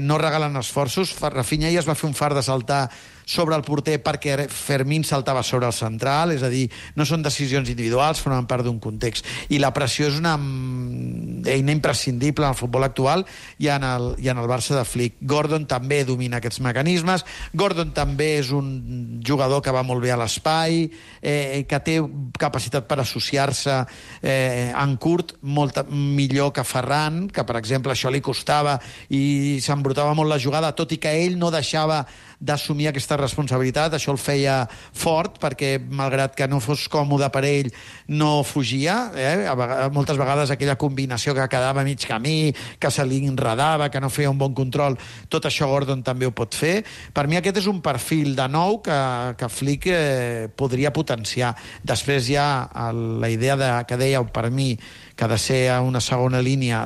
no regalen esforços. Rafinha ja es va fer un fart de saltar sobre el porter perquè Fermín saltava sobre el central, és a dir, no són decisions individuals, formen part d'un context. I la pressió és una eina imprescindible en el futbol actual i en el Barça de Flick. Gordon també domina aquests mecanismes, Gordon també és un jugador que va molt bé a l'espai, que té capacitat per associar-se en curt molt millor que Ferran, que per exemple això li costava i s'embrutava molt la jugada, tot i que ell no deixava d'assumir aquesta responsabilitat. Això el feia fort, perquè malgrat que no fos còmode per ell, no fugia. Moltes vegades aquella combinació que quedava a mig camí, que se li enredava, que no feia un bon control, tot això Gordon també ho pot fer. Per mi aquest és un perfil de nou que Flick podria potenciar. Després hi ha la idea que dèieu, per mi, que ha de ser una segona línia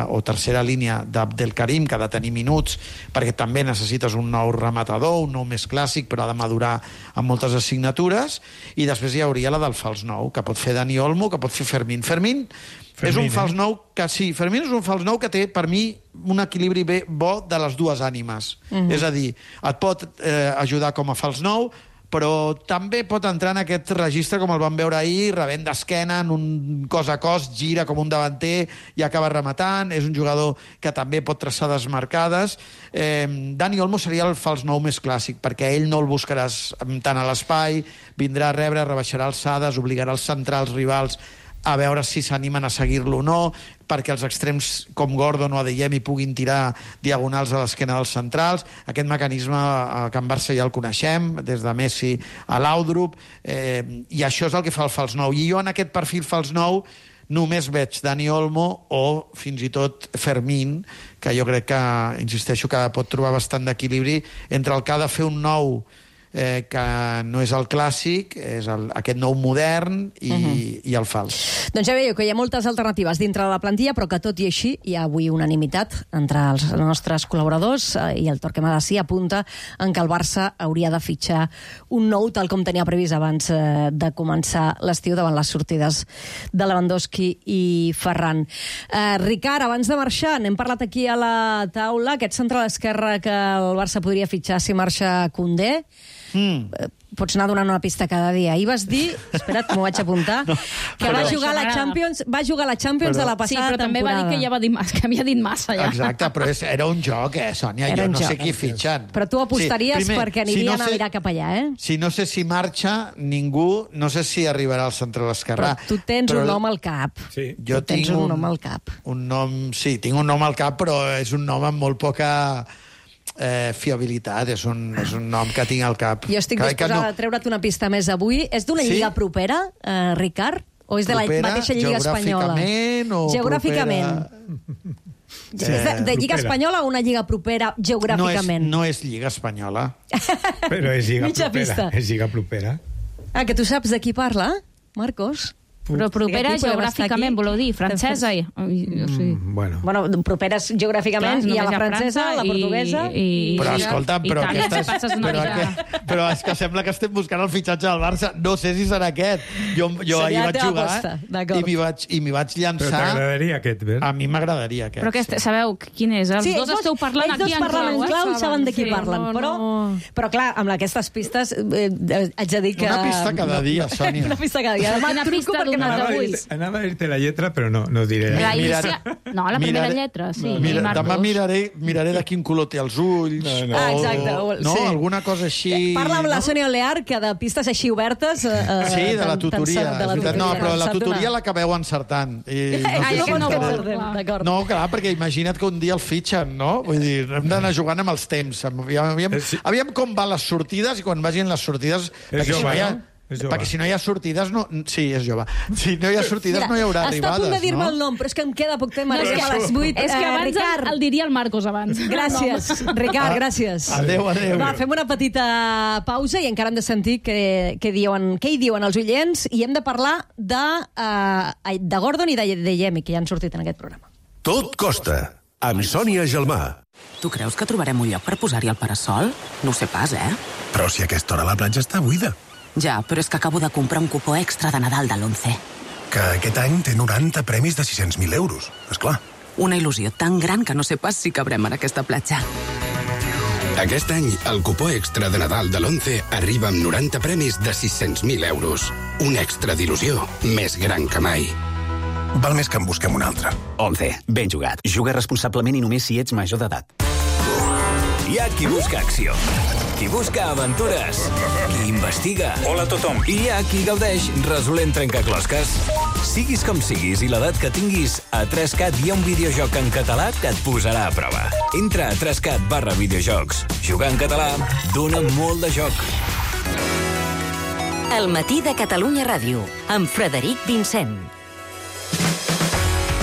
o tercera línia d'Abdelkarim, que ha de tenir minuts, perquè també necessites un nou rematador, un nou més clàssic, però ha de madurar amb moltes assignatures. I després hi hauria la del fals nou, que pot fer Dani Olmo, que pot fer Fermín. Fermín és un fals nou que sí, Fermín és un fals nou que té, per mi, un equilibri bo de les dues ànimes. És a dir, et pot ajudar com a fals nou, però també pot entrar en aquest registre, com el vam veure ahir, rebent d'esquena, en un cos a cos, gira com un davanter i acaba rematant. És un jugador que també pot traçar desmarcades. Dani Olmo seria el fals nou més clàssic, perquè ell no el buscaràs tant a l'espai, vindrà a rebre, rebaixarà alçades, obligarà els centrals rivals a veure si s'animen a seguir-lo o no, perquè els extrems com Gordon o Adeyemi puguin tirar diagonals a l'esquena dels centrals. Aquest mecanisme a Can Barça ja el coneixem, des de Messi a Laudrup, i això és el que fa el fals nou. I jo en aquest perfil fals nou només veig Dani Olmo o fins i tot Fermín, que jo crec que, insisteixo, que pot trobar bastant d'equilibri entre el que ha de fer un nou que no és el clàssic, és aquest nou modern i el fals. Doncs ja veieu que hi ha moltes alternatives dintre de la plantilla, però que tot i així hi ha avui unanimitat entre els nostres col·laboradors i el Torquemada sí apunta en que el Barça hauria de fitxar un nou, tal com tenia previst abans de començar l'estiu, davant les sortides de Lewandowski i Ferran. Ricard, abans de marxar, n'hem parlat aquí a la taula, aquest central esquerre que el Barça podria fitxar si marxa Koundé. Pots anar donant una pista cada dia. Ahir vas dir, espera't, m'ho vaig apuntar, que va jugar a la Champions de la passada temporada. Sí, però també va dir que ja havia dit massa, ja. Exacte, però era un joc, Sònia, jo no sé qui fitxen. Però tu apostaries perquè anirien a mirar cap allà, Si no sé si marxa ningú, no sé si arribarà al centre de l'esquerrà. Però tu tens un nom al cap. Jo tinc un nom al cap. Sí, tinc un nom al cap, però és un nom amb molt poca fiabilitat, és un nom que tinc al cap. Jo estic disposada a treure't una pista més avui. És d'una lliga propera, Ricard? O és de la mateixa lliga espanyola? Geogràficament? De lliga espanyola o una lliga propera geogràficament? No és lliga espanyola. Però és lliga propera. És lliga propera. Que tu saps de qui parla, Marcos? Però propera geogràficament, voleu dir, francesa? Bueno, properes geogràficament, hi ha la francesa, la portuguesa... Però escolta, però és que sembla que estem buscant el fitxatge del Barça. No sé si serà aquest. Jo ahir vaig jugar i m'hi vaig llançar... Però t'agradaria aquest, Bert? A mi m'haig aquest. Però sabeu quin és? Els dos esteu parlant aquí en clau. Ells dos parlen en clau i saben de qui parlen. Però clar, amb aquestes pistes haig de dir que... Una pista cada dia, Sònia. Una pista cada dia. Una pista Anava a dir-te la lletra, però no diré. No, la primera lletra, sí. Demà miraré de quin color té els ulls. Exacte. No, alguna cosa així... Parla amb la Sònia Olear, que de pistes així obertes... Sí, de la tutoria. No, però la tutoria l'acabeu encertant. No, clar, perquè imagina't que un dia el fitxen, no? Vull dir, hem d'anar jugant amb els temps. Aviam com van les sortides, i quan vagin les sortides... Perquè si no hi ha sortides... Sí, és jove. Si no hi ha sortides no hi haurà arribades. Està a punt de dir-me el nom, però és que em queda poc temps. És que abans el diria el Marcos abans. Gràcies, Ricard, gràcies. Adéu. Va, fem una petita pausa i encara hem de sentir què hi diuen els oients, i hem de parlar de Gordon i de Yemi, que ja han sortit en aquest programa. Tot costa, amb Sònia Gelmà. Tu creus que trobarem un lloc per posar-hi el parasol? No ho sé pas, Però si a aquesta hora la platja està buida. Ja, però és que acabo de comprar un cupó extra de Nadal de l'11. Que aquest any té 90 premis de 600.000 euros, esclar. Una il·lusió tan gran que no sé pas si cabrem en aquesta platja. Aquest any, el cupó extra de Nadal de l'11 arriba amb 90 premis de 600.000 euros. Un extra d'il·lusió més gran que mai. Val més que en busquem un altre. 11. Ben jugat. Juga responsablement i només si ets major d'edat. Hi ha qui busca acció, qui busca aventures, qui investiga. Hola a tothom. I hi ha qui gaudeix resolent trencaclosques. Siguis com siguis i l'edat que tinguis, a 3CAT hi ha un videojoc en català que et posarà a prova. Entra a 3CAT/videojocs. Jugar en català dona molt de joc. El matí de Catalunya Ràdio, amb Frederic Vincent.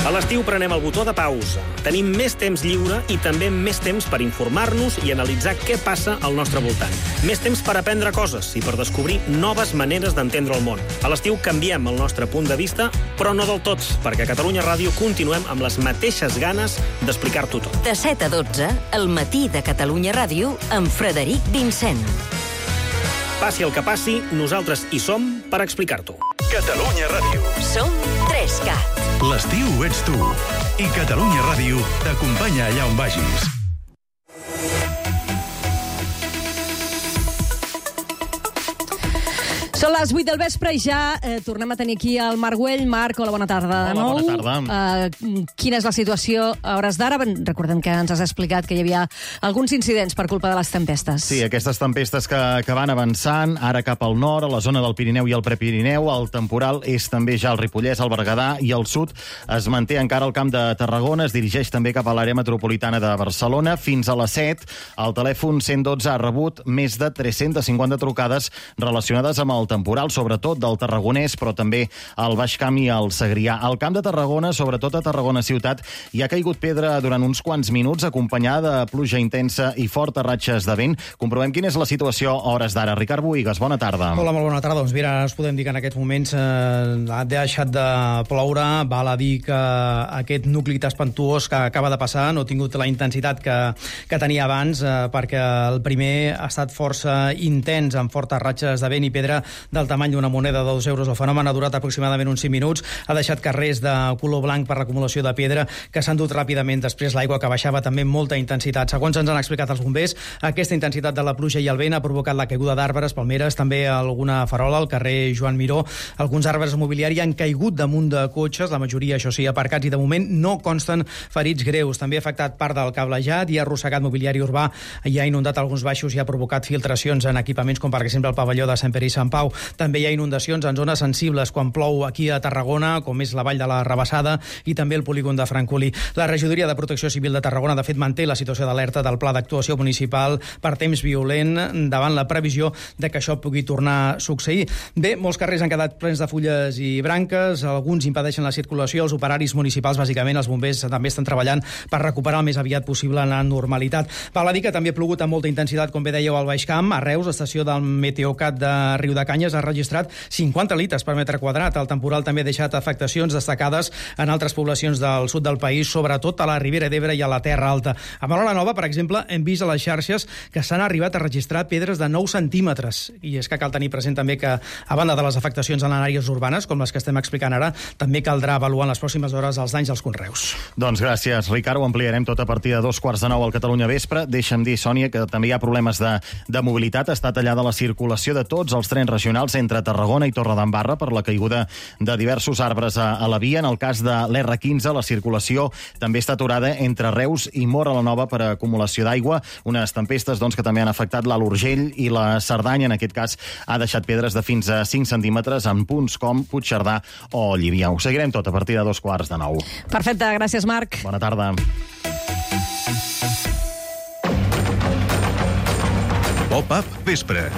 A l'estiu prenem el botó de pausa. Tenim més temps lliure i també més temps per informar-nos i analitzar què passa al nostre voltant. Més temps per aprendre coses i per descobrir noves maneres d'entendre el món. A l'estiu canviem el nostre punt de vista, però no del tot, perquè a Catalunya Ràdio continuem amb les mateixes ganes d'explicar-t'ho tot. De 7 a 12, el matí de Catalunya Ràdio, amb Frederic Vincent. Passi el que passi, nosaltres hi som per explicar-t'ho. Catalunya Ràdio. Som 3CAT. L'estiu ets tu. I Catalunya Ràdio t'acompanya allà on vagis. Són les 8 del vespre i ja tornem a tenir aquí el Marc Güell. Marc, hola, bona tarda de nou. Hola, bona tarda. Quina és la situació a hores d'ara? Recordem que ens has explicat que hi havia alguns incidents per culpa de les tempestes. Sí, aquestes tempestes que van avançant, ara cap al nord, a la zona del Pirineu i el Prepirineu. El temporal és també ja el Ripollès, el Berguedà i el sud. Es manté encara al Camp de Tarragona, es dirigeix també cap a l'àrea metropolitana de Barcelona. Fins a les 7, el telèfon 112 ha rebut més de 350 trucades relacionades amb el temporal, sobretot del Tarragonès, però també al Baix Camp i al Segrià. Al Camp de Tarragona, sobretot a Tarragona ciutat, hi ha caigut pedra durant uns quants minuts, acompanyada de pluja intensa i fortes ratxes de vent. Comprovem quina és la situació a hores d'ara. Ricard Bohigas, bona tarda. Hola, molt bona tarda. Doncs mira, us podem dir que en aquests moments ha deixat de ploure. Val a dir que aquest nucli espantuós que acaba de passar no ha tingut la intensitat que tenia abans, perquè el primer ha estat força intens, amb fortes ratxes de vent i pedra del tamany d'una moneda de 2 euros. El fenomen ha durat aproximadament uns 5 minuts, ha deixat carrers de color blanc per l'acumulació de pedra que s'han dut ràpidament. Després l'aigua que baixava també amb molta intensitat. Segons ens han explicat els bombers, aquesta intensitat de la pluja i el vent ha provocat la caiguda d'arbres, palmeres, també alguna farola al carrer Joan Miró. Alguns arbres mobiliari han caigut damunt de cotxes, la majoria, això sí, aparcats, i de moment no consten ferits greus. També ha afectat part del cablejat i ha arrossegat mobiliari urbà i ha inundat alguns baixos i ha provocat filtracions en equipaments com per exemple el pavelló de Sant Pere i Sant Pau. També hi ha inundacions en zones sensibles quan plou aquí a Tarragona, com és la Vall de la Rabassada i també el polígon de Francolí. La Regidoria de Protecció Civil de Tarragona, de fet, manté la situació d'alerta del Pla d'Actuació Municipal per temps violent davant la previsió de que això pugui tornar a succeir. Bé, molts carrers han quedat plens de fulles i branques, alguns impedeixen la circulació, els operaris municipals, bàsicament, els bombers també estan treballant per recuperar el més aviat possible la normalitat. Val a dir que també ha plogut amb molta intensitat, com bé dèieu, al Baix Camp. A Reus, estació del Meteocat de Riudecanyes ha registrat 50 litres per metre quadrat. El temporal també ha deixat afectacions destacades en altres poblacions del sud del país, sobretot a la Ribera d'Ebre i a la Terra Alta. A Merola Nova, per exemple, hem vist a les xarxes que s'han arribat a registrar pedres de 9 centímetres. I és que cal tenir present també que, a banda de les afectacions en àrees urbanes, com les que estem explicant ara, també caldrà avaluar en les pròximes hores els danys als conreus. Doncs gràcies, Ricard. Ho ampliarem tot a partir de 2:45 al Catalunya Vespre. Deixa'm dir, Sònia, que també hi ha problemes de mobilitat. Està tallada la circulació de tots els trens regionals entre Tarragona i Torredembarra per la caiguda de diversos arbres a la via. En el cas de l'R15, la circulació també està aturada entre Reus i Móra la Nova per acumulació d'aigua. Unes tempestes que també han afectat l'Alt Urgell i la Cerdanya. En aquest cas ha deixat pedres de fins a 5 centímetres en punts com Puigcerdà o Llívia. Ho seguirem tot a partir de 2:15. Perfecte, gràcies, Marc. Bona tarda. Pop-up vespre.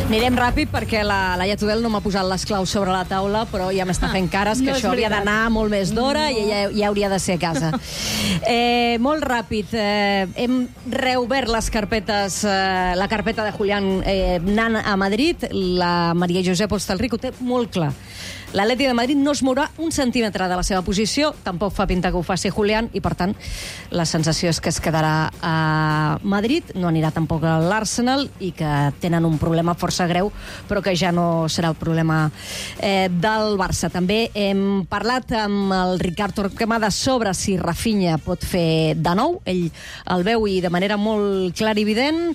Anirem ràpid perquè la Laia Tudel no m'ha posat les claus sobre la taula, però ja m'està fent cares que això hauria d'anar molt més d'hora i ella ja hauria de ser a casa. Molt ràpid. Hem reobert les carpetes, la carpeta de Julián anant a Madrid. La Maria Josep Hostalric ho té molt clar. L'Atleti de Madrid no es mourà un centímetre de la seva posició, tampoc fa pinta que ho faci Julián, i per tant la sensació és que es quedarà a Madrid, no anirà tampoc a l'Arsenal, i que tenen un problema força greu, però que ja no serà el problema del Barça. També hem parlat amb el Ricard Torquemada sobre si Rafinha pot fer de nou. Ell el veu i de manera molt clarivident,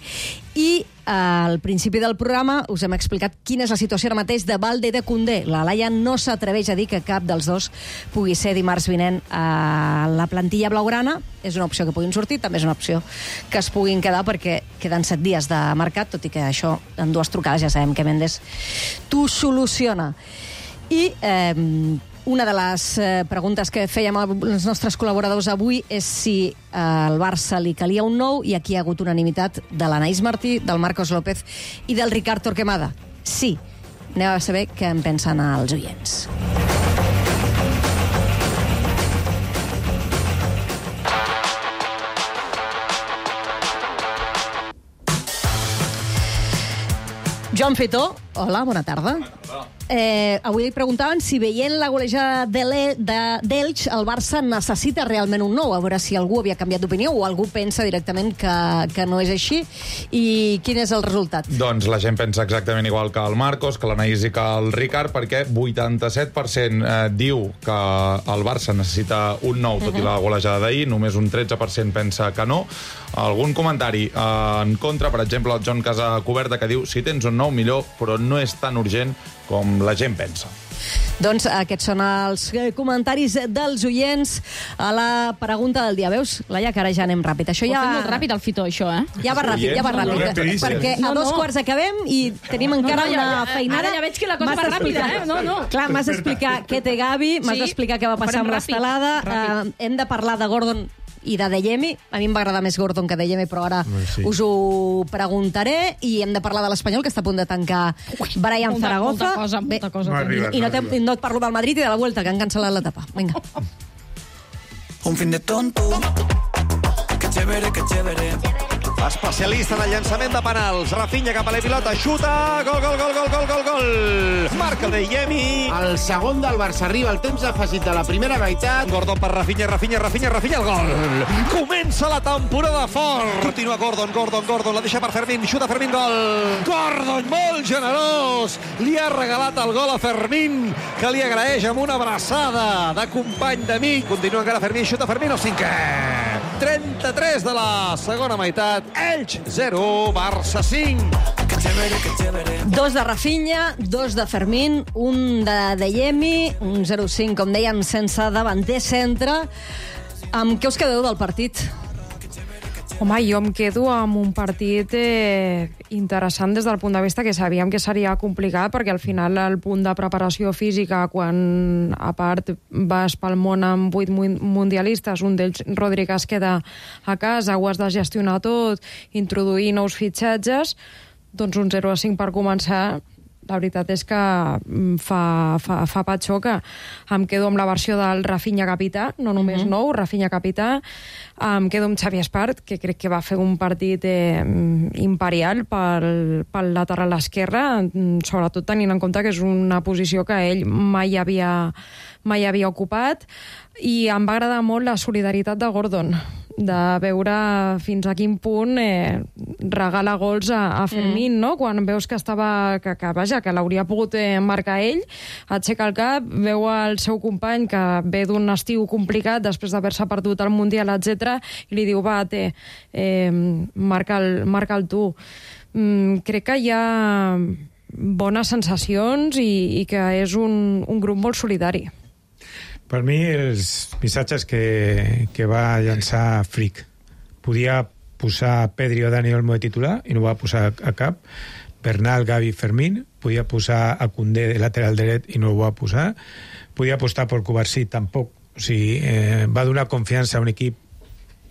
i al principi del programa us hem explicat quina és la situació ara mateix de Balde i de Koundé. La Laia no s'atreveix a dir que cap dels dos pugui ser dimarts vinent a la plantilla blaugrana. És una opció que puguin sortir, també és una opció que es puguin quedar, perquè queden 7 dies de mercat, tot i que això en 2 trucades ja sabem que Mendes t'ho soluciona. I una de les preguntes que fèiem als nostres col·laboradors avui és si al Barça li calia un nou, i aquí hi ha hagut unanimitat de l'Anaïs Martí, del Marcos López i del Ricard Torquemada. Sí. Anem a saber què en pensen els oients. Joan Fetó, hola, bona tarda. Avui preguntaven si veient la golejada d'Elx el Barça necessita realment un nou, a veure si algú havia canviat d'opinió o algú pensa directament que no és així, i quin és el resultat? Doncs la gent pensa exactament igual que el Marcos, que l'Anaïs i que el Ricard, perquè 87% diu que el Barça necessita un nou, tot i la golejada d'ahir, només un 13% pensa que no. Algun comentari en contra, per exemple, el John Casacoberta, que diu si tens un nou millor, però no és tan urgent com la gent pensa. Doncs aquests són els comentaris dels oients a la pregunta del dia. Veus, Laia, que ara ja anem ràpid. Això ja... Ho fem molt ràpid, el Fitó, això, eh? Ja va ràpid, ja va ràpid. Perquè a 2:15 acabem i tenim encara una feinada. Ara ja veig que la cosa va ràpida, eh? No. Clar, m'has d'explicar què té Gavi, m'has d'explicar què va passar amb l'estelada. Hem de parlar de Gordon i de Dejemi. A mi em va agradar més Gordon que Dejemi, però ara us ho preguntaré. I hem de parlar de l'Espanyol, que està a punt de tancar Brian Zaragoza. Molta cosa. I no et parlo del Madrid i de la Vuelta, que han cancel·lat l'etapa. Vinga. Un fin de tonto. Que chévere, que chévere. Especialista en el llançament de penals. Rafinha cap a la pilota, xuta, gol. Marca el Dejemi. El segon del Barça arriba al temps afegit de la primera meitat. Gordon per Rafinha, el gol. Comença la temporada fort. Continua Gordon, la deixa per Fermín, xuta Fermín, gol. Gordon, molt generós. Li ha regalat el gol a Fermín, que li agraeix amb una abraçada de company d'amic. Continua encara Fermín, xuta Fermín, el 5è. 33 de la segona meitat. Elx 0, Barça 5. 2 de Rafinha, 2 de Fermín, 1 de Dejemi, un 0-5, com dèiem, sense davanter centre. Amb què us quedeu del partit? Home, jo em quedo amb un partit interessant des del punt de vista que sabíem que seria complicat, perquè al final el punt de preparació física, quan a part vas pel món amb 8 mundialistes, un d'ells, Rodri, que es queda a casa, ho has de gestionar tot, introduir nous fitxatges, doncs un 0-5 per començar. La veritat és que fa patxoca. Em quedo amb la versió del Rafinha capità, no només nou, Rafinha capità. Em quedo amb Xavi Espart, que crec que va fer un partit imperial pel lateral esquerre, sobretot tenint en compte que és una posició que ell mai havia ocupat. I em va agradar molt la solidaritat de Gordon, de veure fins a quin punt regala gols a Fermín, no? Quan veus que que l'hauria pogut marcar ell, aixeca el cap, veu el seu company que ve d'un estiu complicat després d'haver-se perdut el Mundial, etc, i li diu, va, marca'l tu. Crec que hi ha bones sensacions i que és un grup molt solidari. Per mi, els missatges que va llançar Frick. Podia posar Pedri o Dani Olmo de titular i no va posar a cap. Bernal, Gavi, Fermín. Podia posar a Koundé de lateral dret i no ho va posar. Podia apostar per Cubarsí, tampoc. O sigui, va donar confiança a un equip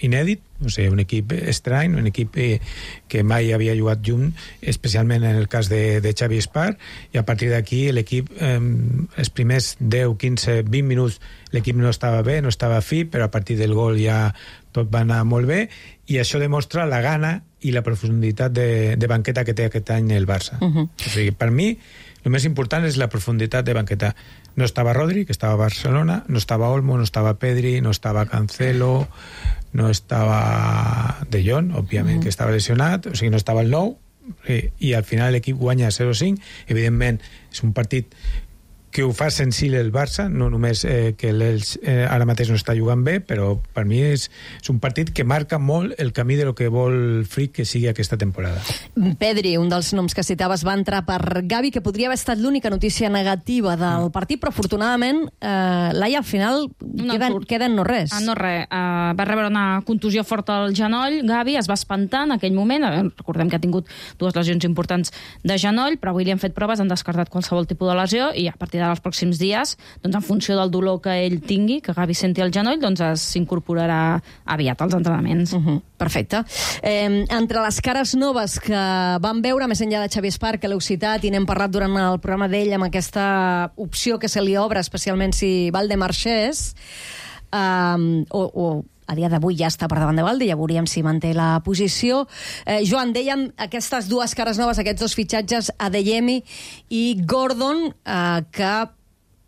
inèdit, o sigui, un equip estrany, un equip que mai havia jugat junt, especialment en el cas de Xavi Espart, i a partir d'aquí l'equip, els primers 10, 15, 20 minuts, l'equip no estava bé, no estava fi, però a partir del gol ja tot va anar molt bé, i això demostra la gana i la profunditat de banqueta que té aquest any el Barça. O sigui, per mi, El més important és la profunditat de banqueta. No estava Rodri, que estava a Barcelona, no estava Olmo, no estava Pedri, no estava Cancelo, no estava De Jong, òbviament, que estava lesionat, o sigui, no estava el nou, i al final l'equip guanya 0-5. Evidentment, és un partit que ho fa senzill el Barça, no només que l'Elx ara mateix no està jugant bé, però per mi és un partit que marca molt el camí de lo que vol Flick que sigui aquesta temporada. Pedri, un dels noms que citaves, va entrar per Gavi, que podria haver estat l'única notícia negativa del partit, però afortunadament Laia, al final queda en no res. No res. Va rebre una contusió forta al genoll, Gavi es va espantar en aquell moment, recordem que ha tingut 2 lesions importants de genoll, però avui li han fet proves, han descartat qualsevol tipus de lesió, i a partir dels pròxims dies, doncs en funció del dolor que ell tingui, que Gavi senti al genoll, doncs s'incorporarà aviat als entrenaments. Perfecte. Entre les cares noves que vam veure, més enllà de Xavi Espart, que l'heu citat i n'hem parlat durant el programa d'ell amb aquesta opció que se li obre, especialment si Valdemar marxés, o a dia d'avui ja està per davant de Valde, ja veuríem si manté la posició. Joan, dèiem aquestes 2 cares noves, aquests 2 fitxatges, Adeyemi i Gordon, que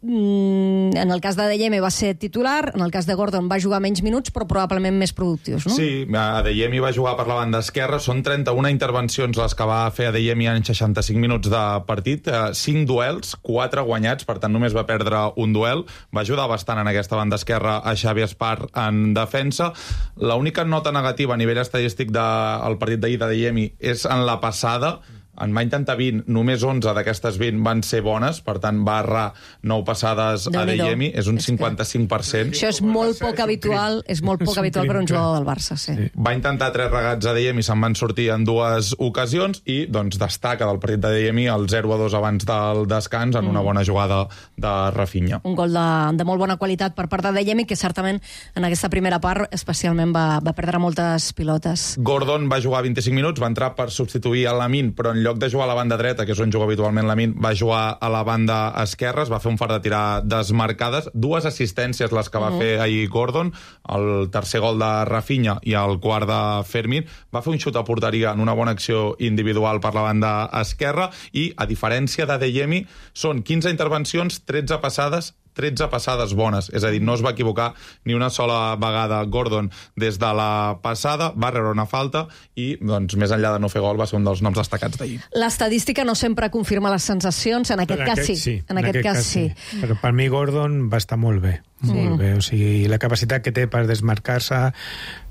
en el cas d'Adeyemi va ser titular, en el cas de Gordon va jugar menys minuts, però probablement més productius, no? Sí, Adeyemi va jugar per la banda esquerra, són 31 intervencions les que va fer Adeyemi en 65 minuts de partit, 5 duels, 4 guanyats, per tant només va perdre un duel, va ajudar bastant en aquesta banda esquerra a Xavi Espart en defensa. L'única nota negativa a nivell estadístic del partit d'ahir d'Adeyemi és en la passada. En va intentar 20, només 11 d'aquestes 20 van ser bones, per tant va errar 9 passades a Adeyemi, és un 55%. Això és molt poc habitual, per un jugador del Barça, sí. Va intentar 3 regats a Adeyemi, se'n van sortir en 2 ocasions, i doncs destaca del partit d'Adeyemi el 0-2 abans del descans en una bona jugada de Rafinha. Un gol de molt bona qualitat per part d'Adeyemi, que certament en aquesta primera part especialment va perdre moltes pilotes. Gordon va jugar 25 minuts, va entrar per substituir a Lamine, però en lloc de jugar a la banda dreta, que és on juga habitualment Lamine, va jugar a la banda esquerra, es va fer un far de tirar desmarcades, 2 assistències les que va fer ahir Gordon, el tercer gol de Rafinha i el quart de Fermín, va fer un xut a porteria en una bona acció individual per la banda esquerra, i a diferència d'Adeyemi, són 15 intervencions, 13 passades bones, és a dir, no es va equivocar ni una sola vegada Gordon des de la passada, va rebre una falta i, doncs, més enllà de no fer gol, va ser un dels noms destacats d'ahir. L'estadística no sempre confirma les sensacions, en aquest cas sí. En aquest cas sí. Però per mi Gordon va estar molt bé, molt bé. O sigui, la capacitat que té per desmarcar-se,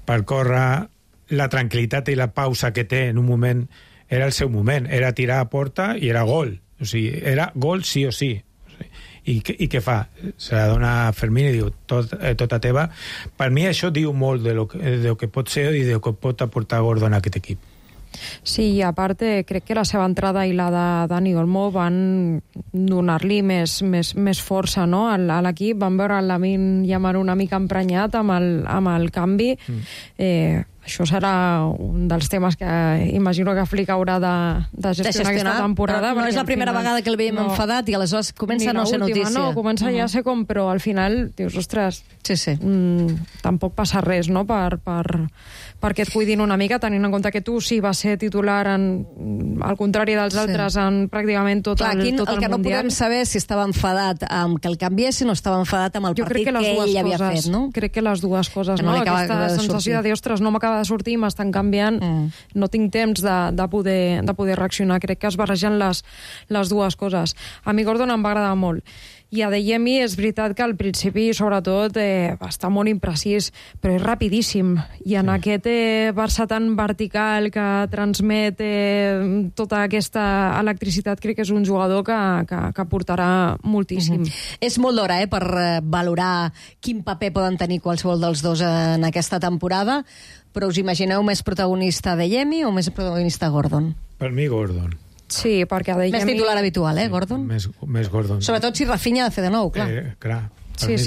per córrer, la tranquil·litat i la pausa que té en un moment, era el seu moment, era tirar a porta i era gol. O sigui, era gol sí o sí. I què fa? Se la dona a Fermín i diu, tota teva. Per mi això diu molt de lo que pot ser i de lo que pot aportar Gordon a aquest equip. Sí, i a part crec que la seva entrada i la de Dani Olmo van donar-li més força, no? A l'equip van veure el Lamine Yamal una mica emprenyat amb el canvi. Això serà un dels temes que imagino que Flick haurà de gestionar aquesta temporada. No és la primera vegada que el veiem enfadat i aleshores comença a no ser notícia. No, comença ja a ser com, però al final dius, ostres, tampoc passa res, no?, perquè et cuidin una mica, tenint en compte que tu sí vas ser titular al contrari dels altres en pràcticament tot el Mundial. El que no podem saber si estava enfadat amb que el canviessin o estava enfadat amb el partit que ell havia fet, no? Crec que les dues coses, no? Aquesta sensació de dir, ostres, no m'acaba de sortir, m'estan canviant, no tinc temps de poder reaccionar. Crec que es barregen les dues coses. A mi Gordon em va agradar molt. I Adeyemi és veritat que al principi, sobretot, va estar molt imprecís, però és rapidíssim. I en aquest Barça tan vertical que transmet tota aquesta electricitat, crec que és un jugador que portarà moltíssim. És molt d'hora per valorar quin paper poden tenir qualsevol dels dos en aquesta temporada, però us imagineu més protagonista Adeyemi o més protagonista Gordon? Per mi, Gordon. Sí, perquè Adeyemi... Més titular habitual, Gordon? Més Gordon. Sobretot si Rafinha ha de fer de nou, clar. Clar. Sí,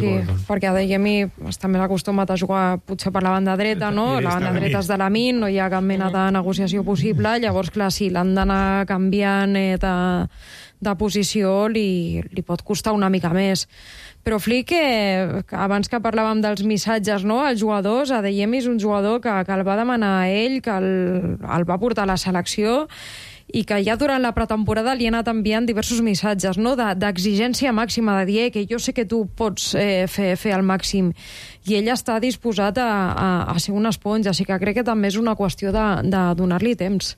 perquè Adeyemi està més acostumat a jugar potser per la banda dreta, no? La banda dreta és de Lamine, no hi ha cap mena de negociació possible, llavors, clar, si l'han d'anar canviant de posició li pot costar una mica més. Però Flick, abans que parlàvem dels missatges, no?, als jugadors, Adeyemi és un jugador que el va demanar a ell, que el va portar a la selecció, i que ja durant la pretemporada li ha anat enviant diversos missatges, no? D'exigència màxima, de dir que jo sé que tu pots fer el màxim, i ell està disposat a ser una esponja, així que crec que també és una qüestió de donar-li temps.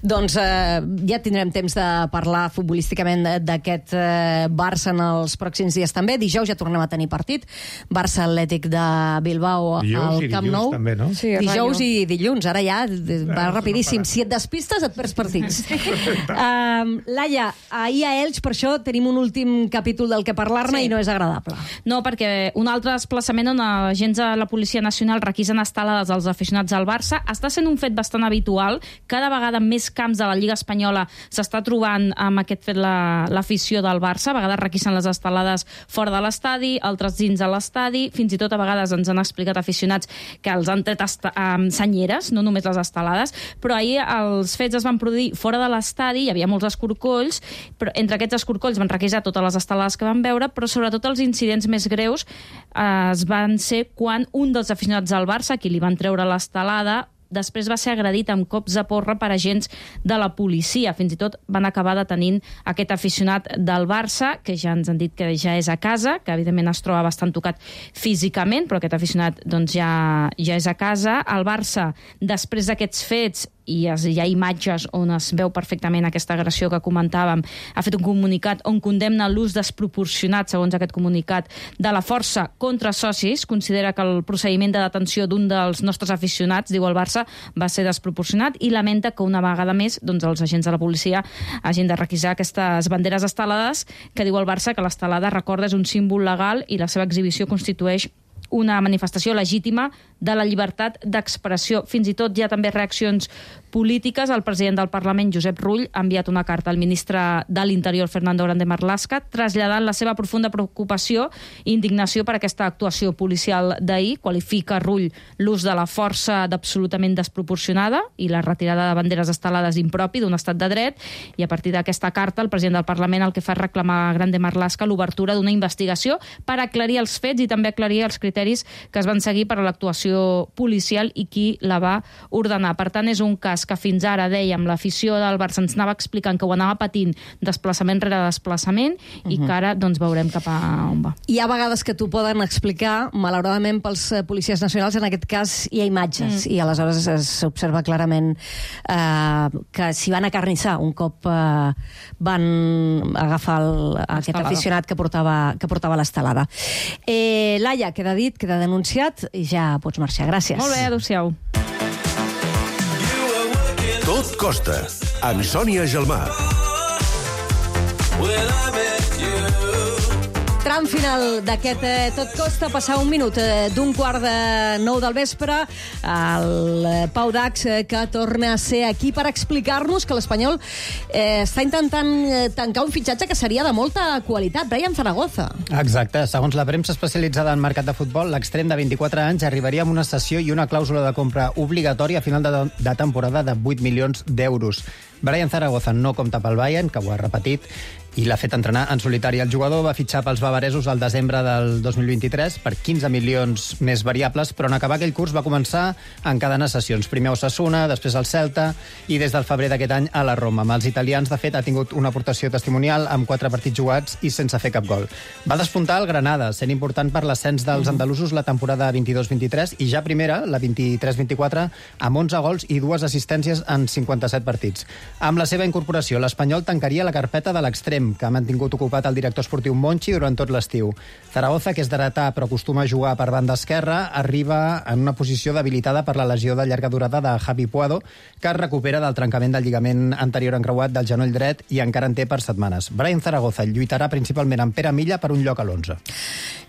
Doncs ja tindrem temps de parlar futbolísticament d'aquest Barça en els pròxims dies també. Dijous ja tornem a tenir partit. Barça Atlètic de Bilbao al Camp Nou. També, no? Sí, dijous i dilluns. Ara ja va rapidíssim. Si et despistes et perds partits. Laia, ahir a Elx, per això tenim un últim capítol del que parlar-ne i no és agradable. No, perquè un altre desplaçament on agents de la Policia Nacional requisen estelades als aficionats del Barça està sent un fet bastant habitual. Cada vegada més camps de la Lliga Espanyola s'està trobant amb aquest fet l'afició del Barça. A vegades requisen les estelades fora de l'estadi, altres dins de l'estadi. Fins i tot a vegades ens han explicat aficionats que els han tret senyeres, no només les estelades. Però ahir els fets es van produir fora de l'estadi, hi havia molts escorcolls, però entre aquests escorcolls van requisar totes les estelades que van veure, però sobretot els incidents més greus es van ser quan un dels aficionats del Barça, qui li van treure l'estelada, després va ser agredit amb cops de porra per agents de la policia. Fins i tot van acabar detenint aquest aficionat del Barça, que ja ens han dit que ja és a casa, que evidentment es troba bastant tocat físicament, però aquest aficionat doncs, ja és a casa. El Barça, després d'aquests fets, i hi ha imatges on es veu perfectament aquesta agressió que comentàvem, ha fet un comunicat on condemna l'ús desproporcionat, segons aquest comunicat, de la força contra socis. Considera que el procediment de detenció d'un dels nostres aficionats, diu el Barça, va ser desproporcionat i lamenta que una vegada més doncs, els agents de la policia hagin de requisar aquestes banderes estelades, que diu el Barça que l'estelada, recorda, és un símbol legal i la seva exhibició constitueix una manifestació legítima de la llibertat d'expressió. Fins i tot hi ha també reaccions polítiques. El president del Parlament, Josep Rull, ha enviat una carta al ministre de l'Interior, Fernando Grande Marlaska, traslladant la seva profunda preocupació i indignació per aquesta actuació policial d'ahir. Qualifica Rull l'ús de la força d'absolutament desproporcionada i la retirada de banderes estelades impropi d'un estat de dret, i a partir d'aquesta carta el president del Parlament el que fa és reclamar a Grande Marlaska l'obertura d'una investigació per aclarir els fets i també aclarir els criteris que es van seguir per a l'actuació policial i qui la va ordenar. Per tant, és un cas que fins ara, dèiem, l'afició del Barça ens anava explicant que ho anava patint desplaçament rere desplaçament i que ara doncs, veurem cap a on va. Hi ha vegades que t'ho poden explicar, malauradament pels policies nacionals, en aquest cas hi ha imatges i aleshores s'observa clarament que s'hi van acarnissar un cop van agafar aquest aficionat que portava l'estelada. Laia, queda dit, queda denunciat i ja pots marxar. Gràcies. Molt bé, adéu-siau. Tot costa, amb Sònia Gelmà. Tram final d'aquest Tot costa, passar un minut d'un 8:45 del vespre, el Pau Dax, que torna a ser aquí per explicar-nos que l'Espanyol està intentant tancar un fitxatge que seria de molta qualitat, Brian Zaragoza. Exacte, segons la premsa especialitzada en mercat de futbol, l'extrem de 24 anys arribaria amb una cessió i una clàusula de compra obligatòria a final de temporada de 8 milions d'euros. Brian Zaragoza no compta pel Bayern, que ho ha repetit, i l'ha fet entrenar en solitari. El jugador va fitxar pels bavaresos al desembre del 2023 per 15 milions més variables, però en acabar aquell curs va començar a encadenar sessions. Primer a Osasuna, després al Celta i des del febrer d'aquest any a la Roma. Amb els italians, de fet, ha tingut una aportació testimonial amb 4 partits jugats i sense fer cap gol. Va despuntar el Granada, sent important per l'ascens dels andalusos la temporada 22-23 i ja primera, la 23-24, amb 11 gols i 2 assistències en 57 partits. Amb la seva incorporació, l'Espanyol tancaria la carpeta de l'extrem, que ha mantingut ocupat el director esportiu Monchi durant tot l'estiu. Zaragoza, que és d'heretà però acostuma a jugar per banda esquerra, arriba en una posició debilitada per la lesió de llarga durada de Javi Puado, que es recupera del trencament del lligament anterior encreuat del genoll dret i encara en té per setmanes. Brian Zaragoza lluitarà principalment amb Pere Milla per un lloc a l'11.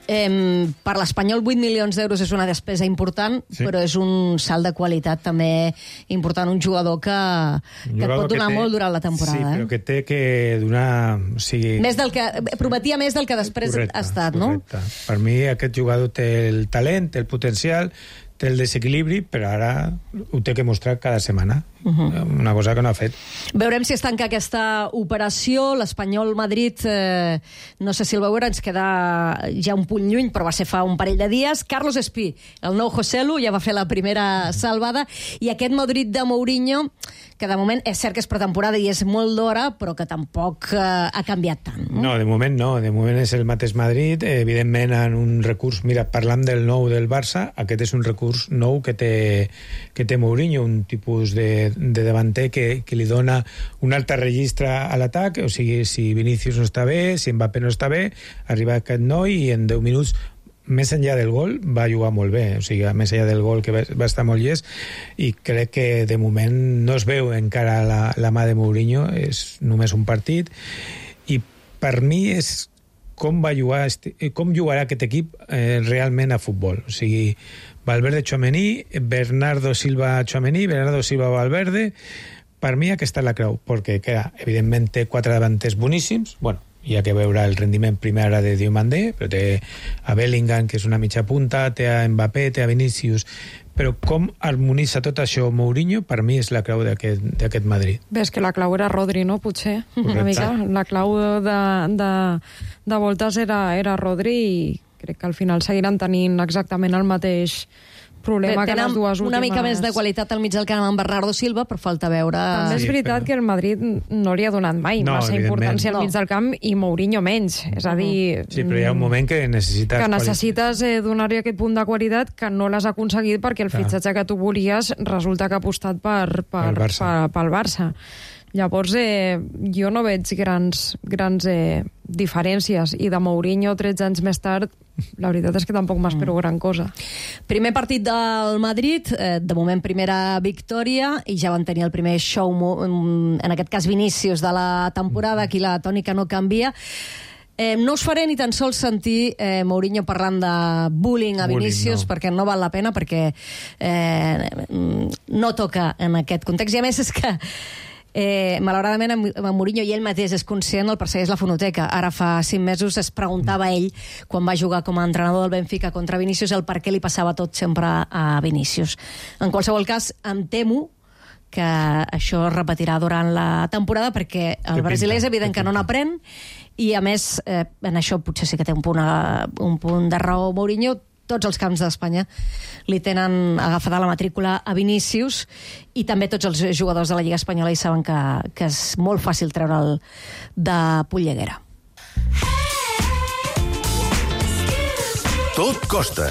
Per l'Espanyol 8 milions d'euros és una despesa important, però és un salt de qualitat també important, un jugador que et pot donar molt durant la temporada. Sí, però que té que donar... O sigui... prometia més del que després ha estat, no? Correcte. Per mi aquest jugador té el talent, té el potencial, té el desequilibri, però ara ho té que mostrar cada setmana. Una cosa que no ha fet. Veurem si es tanca aquesta operació. L'Espanyol Madrid, no sé si el veurà, ens queda ja un punt lluny, però va ser fa un parell de dies. Carlos Espí, el nou Joselu, ja va fer la primera salvada, i aquest Madrid de Mourinho, que de moment és cert que és pretemporada i és molt d'hora, però que tampoc ha canviat tant. No, de moment no. De moment és el mateix Madrid. Evidentment, en un recurs... Mira, parlant del nou del Barça, aquest és un recurs nou que té Mourinho, un tipus de davanter que li dona un altre registre a l'atac, o sigui, si Vinícius no està bé, si Mbappé no està bé, arriba aquest noi i en 10 minuts, més enllà del gol, va jugar molt bé, o sigui, més enllà del gol que va estar molt llest, i crec que de moment no es veu encara la mà de Mourinho, és només un partit, i per mi és com jugarà aquest equip realment a futbol, o sigui, Valverde Tchouaméni, Bernardo Silva Tchouaméni, Bernardo Silva Valverde, per mi aquesta és la clau, perquè evidentment té 4 davanters boníssims, bueno, hi ha que veure el rendiment primer ara de Diomandé, però té a Bellingham, que és una mitja punta, té a Mbappé, té a Vinícius, però com harmonitza tot això Mourinho, per mi és la clau d'aquest Madrid. Ves que la clau era Rodri, no? Potser, una mica. La clau de voltes era Rodri, i crec que al final seguiran tenint exactament el mateix problema que les dues últimes. Una mica més de qualitat al mig del camp amb Bernardo Silva, però falta veure... També és veritat que el Madrid no li ha donat mai massa importància al mig del camp, i Mourinho menys. És a dir... Sí, però hi ha un moment que necessites donar-li aquest punt de qualitat que no l'has aconseguit perquè el fitxatge que tu volies resulta que ha apostat pel Barça. Llavors, jo no veig grans diferències, i de Mourinho 13 anys més tard, la veritat és que tampoc m'espero gran cosa. Primer partit del Madrid, de moment primera victòria, i ja van tenir el primer show, en aquest cas Vinícius, de la temporada, aquí la tònica no canvia. No us faré ni tan sols sentir Mourinho parlant de bullying a Vinícius, perquè no val la pena, perquè no toca en aquest context. I a més és que malauradament amb Mourinho, i ell mateix és conscient, el persegueix la fonoteca. Ara fa 5 mesos es preguntava ell, quan va jugar com a entrenador del Benfica contra Vinícius, el per què li passava tot sempre a Vinícius. En qualsevol cas, em temo que això es repetirà durant la temporada, perquè el brasiler és evident que no n'aprèn, i a més, en això potser sí que té un punt de raó Mourinho. Tots els camps d'Espanya li tenen agafada la matrícula a Vinícius, i també tots els jugadors de la Lliga Espanyola hi saben que és molt fàcil treure'l de polleguera. Tot costa.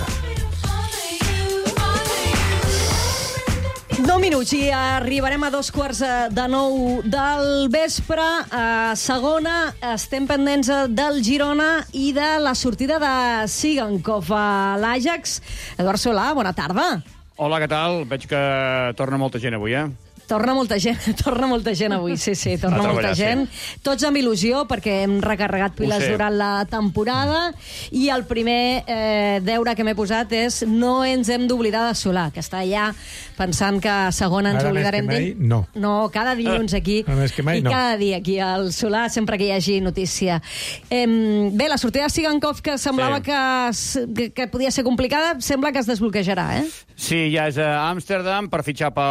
9 minuts i arribarem a 8:45 del vespre. A segona estem pendents del Girona i de la sortida de Sigankov a l'Ajax. Eduard Solà, bona tarda. Hola, què tal? Veig que torna molta gent avui, Torna molta gent avui, sí, torna molta gent. Tots amb il·lusió, perquè hem recarregat piles durant la temporada, i el primer deure que m'he posat és no ens hem d'oblidar de Solà, que està allà pensant que a segona ens oblidarem d'ell. No, cada dilluns aquí, i cada dia aquí al Solà, sempre que hi hagi notícia. Bé, la sortida de Sigankov, que semblava que podia ser complicada, sembla que es desbloquejarà, Sí, ja és a Amsterdam per fitxar per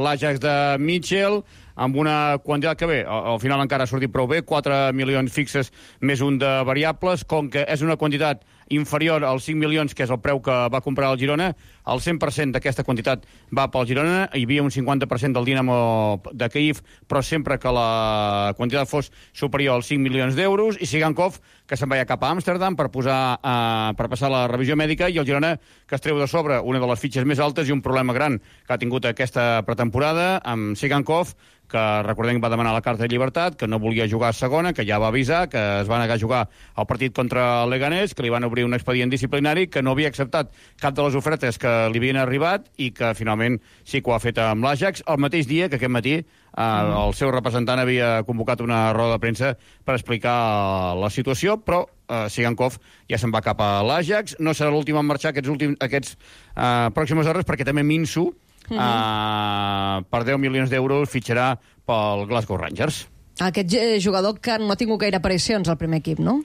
l'Ajax de Mitchell, amb una quantitat que al final encara ha sortit prou bé, 4 milions fixes més un de variables, com que és una quantitat inferior als 5 milions, que és el preu que va comprar el Girona, el 100% d'aquesta quantitat va pel Girona. Hi havia un 50% del Dinamo de Kyiv, però sempre que la quantitat fos superior als 5 milions d'euros, i Sigankov, que se'n va cap a Amsterdam per passar la revisió mèdica, i el Girona, que es treu de sobre una de les fitxes més altes i un problema gran que ha tingut aquesta pretemporada amb Sigankov, que recordem que va demanar la carta de llibertat, que no volia jugar a segona, que ja va avisar, que es va negar a jugar el partit contra el Leganés, que li van obrir un expedient disciplinari, que no havia acceptat cap de les ofertes que li havien arribat, i que finalment sí que ho ha fet amb l'Ajax, el mateix dia que aquest matí el seu representant havia convocat una roda de premsa per explicar la situació, però Sigankov ja se'n va cap a l'Ajax. No serà l'últim en marxar aquests pròximes hores, perquè també Minsu, per 10 milions d'euros, fitxarà pel Glasgow Rangers. Aquest jugador que no ha tingut gaire aparicions al primer equip, no?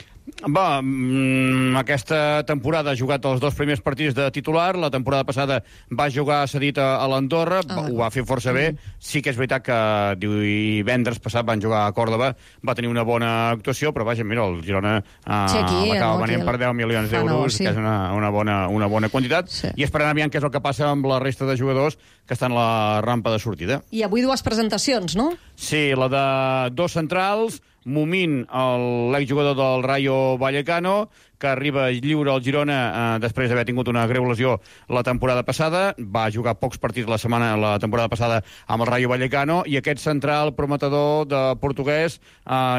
Aquesta temporada ha jugat els 2 primers partits de titular, la temporada passada va jugar cedit a l'Andorra, ho va fer força bé, sí que és veritat que divendres passat van jugar a Còrdova, va tenir una bona actuació, però vaja, mira, el Girona l'acaba venent per 10 milions d'euros, que és una bona quantitat, i esperant aviam què és el que passa amb la resta de jugadors que estan a la rampa de sortida. I avui 2 presentacions, no? Sí, la de 2 centrals, Momín, l'exjugador del Rayo Vallecano, que arriba lliure al Girona després d'haver tingut una greu lesió la temporada passada. Va jugar pocs partits la temporada passada amb el Rayo Vallecano, i aquest central prometedor de portuguès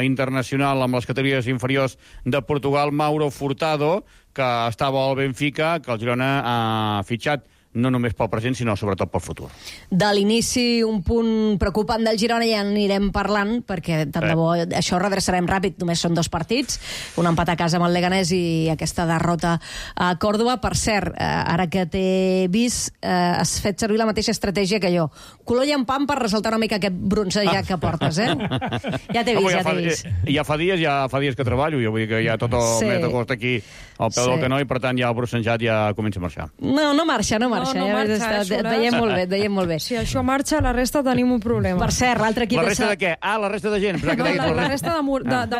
internacional amb les categories inferiors de Portugal, Mauro Furtado, que estava al Benfica, que el Girona ha fitxat no només pel present, sinó sobretot pel futur. De l'inici, un punt preocupant del Girona, ja anirem parlant, perquè tant de bo això ho redreçarem ràpid, només són 2 partits, un empat a casa amb el Leganés i aquesta derrota a Còrdova. Per cert, ara que t'he vist, has fet servir la mateixa estratègia que jo. Color llampant per ressaltar una mica aquest bronzejat que portes, eh? Ja t'he vist, Ja fa dies que treballo, jo vull dir que ja tot el mes d'agost aquí al peu del canó, i per tant ja el bronzejat ja comença a marxar. No marxa. Et veiem molt bé. Si això marxa, la resta tenim un problema. Per cert, l'altre equip... La resta de què? La resta de gent. La resta de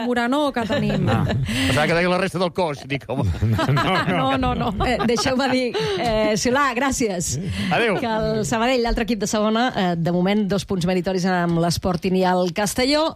Morano que tenim. Pensava que deia la resta del cos. Dic, home... No. Deixeu-me dir, Solà, gràcies. Adéu. Que el Sabadell, l'altre equip de segona, de moment 2 punts meritoris amb l'Sporting i el Castelló.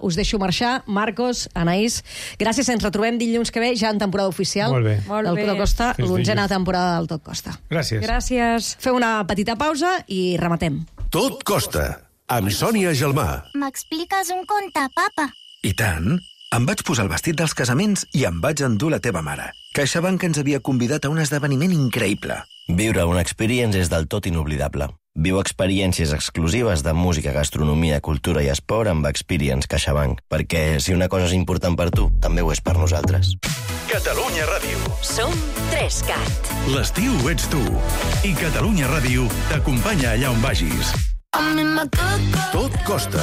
Us deixo marxar. Marcos, Anaïs, gràcies. Ens retrobem dilluns que ve, ja en temporada oficial. Molt bé. Del Tot Costa, l'11a temporada del Tot Costa. Gràcies. Feu una petita pausa i rematem. Tot Costa, amb Sònia Gelmà. M'expliques un conte, papa? I tant. Em vaig posar el vestit dels casaments i em vaig endur la teva mare. CaixaBank ens havia convidat a un esdeveniment increïble. Viure una experience és del tot inoblidable. Viu experiències exclusives de música, gastronomia, cultura i esport amb Experience CaixaBank. Perquè si una cosa és important per tu, també ho és per nosaltres. Catalunya Ràdio. Som 3CAT. L'estiu ets tu. I Catalunya Ràdio t'acompanya allà on vagis. Tot Costa.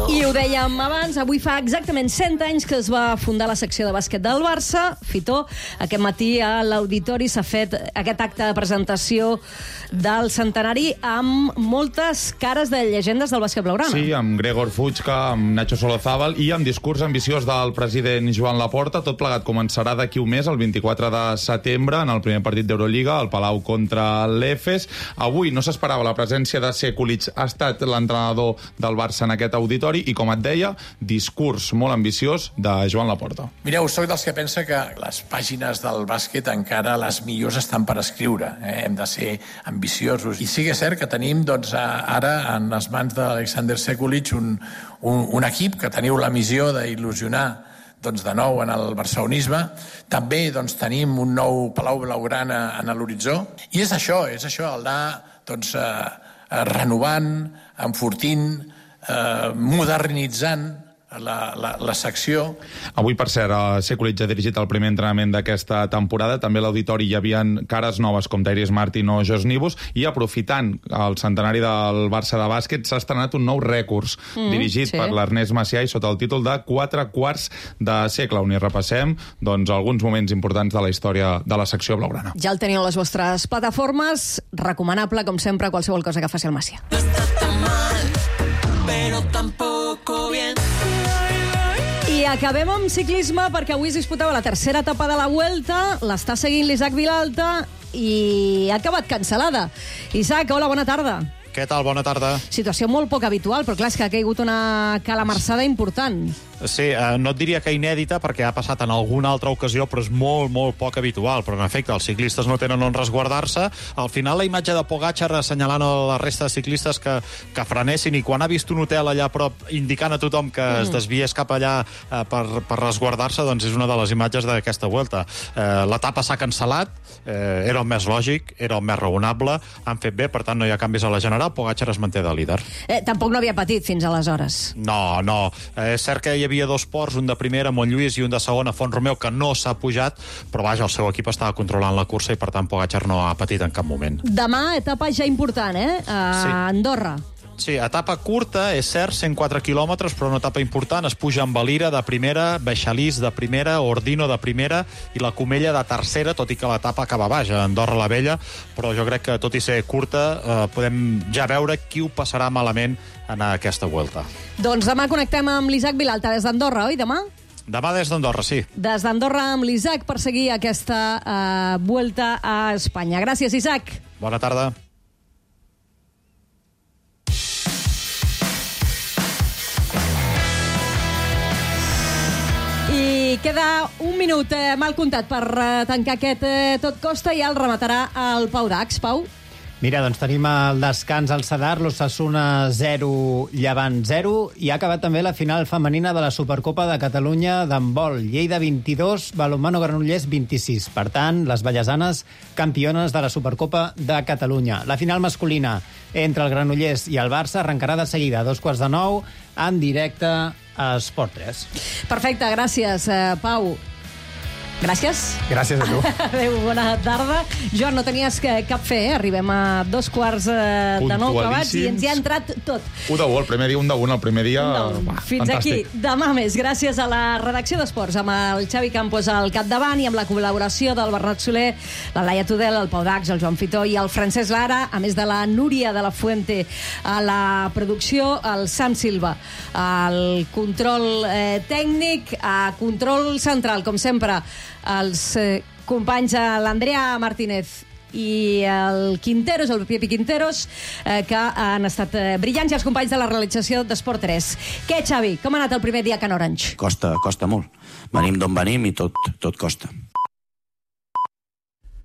I ho dèiem abans, avui fa exactament 100 anys que es va fundar la secció de bàsquet del Barça. Fitó, aquest matí a l'auditori s'ha fet aquest acte de presentació del centenari amb moltes cares de llegendes del bàsquet blaugrana. Sí, amb Gregor Fuchka, amb Nacho Solozábal i amb discurs ambiciós del president Joan Laporta. Tot plegat començarà d'aquí un mes, el 24 de setembre, en el primer partit d'Eurolliga, al Palau contra l'Efes. Avui no s'esperava la presència de Sekulic. Ha estat l'entrenador del Barça en aquest auditori i, com et deia, discurs molt ambiciós de Joan Laporta. Mireu, soc dels que pensa que les pàgines del bàsquet encara les millors estan per escriure. Hem de ser ambiciosos. I sí que és cert que tenim ara en les mans d'Alexander Sekulic un equip que teniu la missió d'il·lusionar de nou en el barcelonisme. També tenim un nou Palau Blaugrana en l'horitzó. I és això, el d'anar renovant, enfortint, modernitzant la secció. Avui, per cert, Sekulic ha dirigit el primer entrenament d'aquesta temporada. També a l'auditori hi havia cares noves com Tyrese Martin o Josh Nibus, i aprofitant el centenari del Barça de bàsquet s'ha estrenat un nou rècord dirigit per l'Ernest Macià i sota el títol de 4 quarts de segle, on hi repassem alguns moments importants de la història de la secció blaugrana. Ja el teniu a les vostres plataformes. Recomanable, com sempre, qualsevol cosa que faci el Macià. No está tan mal, pero tampoco bien. I acabem amb ciclisme, perquè avui es disputava la tercera etapa de la Vuelta. L'està seguint l'Isaac Vilalta i ha acabat cancel·lada. Isaac, hola, bona tarda. Què tal? Bona tarda. Situació molt poc habitual, però clar, és que ha caigut una calamarsada important. Sí, no et diria que inèdita, perquè ha passat en alguna altra ocasió, però és molt, molt poc habitual. Però, en efecte, els ciclistes no tenen on resguardar-se. Al final, la imatge de Pogačar assenyalant a la resta de ciclistes que frenessin, i quan ha vist un hotel allà a prop indicant a tothom que es desviés cap allà per resguardar-se, doncs és una de les imatges d'aquesta Vuelta. L'etapa s'ha cancel·lat, era el més lògic, era el més raonable, han fet bé, per tant no hi ha canvis a la general, Pogačar es manté de líder. Tampoc no havia patit fins aleshores. No. És cert que hi hi havia 2 ports, un de primera, Montlluís, i un de segona, Font-romeu, que no s'ha pujat, però vaja, el seu equip estava controlant la cursa i per tant Pogačar no ha patit en cap moment. Demà, etapa ja important, a Andorra. Sí, etapa curta, és cert, 104 quilòmetres, però una etapa important. Es puja amb Valira de primera, Beixalís de primera, Ordino de primera i la Comella de tercera, tot i que l'etapa acaba baix, a Andorra la Vella, però jo crec que, tot i ser curta, podem ja veure qui ho passarà malament en aquesta Vuelta. Doncs demà connectem amb l'Isaac Vilalta des d'Andorra, oi, demà? Demà des d'Andorra, sí. Des d'Andorra amb l'Isaac per seguir aquesta Vuelta a Espanya. Gràcies, Isaac. Bona tarda. I queda un minut mal comptat per tancar aquest Tot Costa i el rematarà el Pau Dax. Pau? Mira, doncs tenim el descans al Sadar, l'Osasuna 0, Llevant 0, i ha acabat també la final femenina de la Supercopa de Catalunya d'handbol. Lleida 22, Balonmano Granollers 26. Per tant, les vallesanes campiones de la Supercopa de Catalunya. La final masculina entre el Granollers i el Barça arrencarà de seguida a 8:45 en directe a Esport 3. Perfecte, gràcies, Pau. Gràcies. Gràcies a tu. Adéu, bona tarda. Joan, no tenies cap fe, Arribem a 8:45 acabats i ens hi ha entrat tot. 1 de 1, el primer dia, 1 de 1, el primer dia... Fins fantàstic. aquí, demà més. Gràcies a la redacció d'Esports, amb el Xavi Campos al capdavant i amb la col·laboració del Bernat Soler, la Laia Tudel, el Pau Dax, el Joan Fitó i el Francesc Lara, a més de la Núria de la Fuente a la producció, el Sam Silva, el control tècnic, a control central, com sempre, els companys, l'Andrea Martínez i el Quinteros, el Piepi Quinteros, que han estat brillants, i els companys de la realització d'Esport 3. Què, Xavi? Com ha anat el primer dia a Can Orange? Costa molt. Venim d'on venim i tot costa.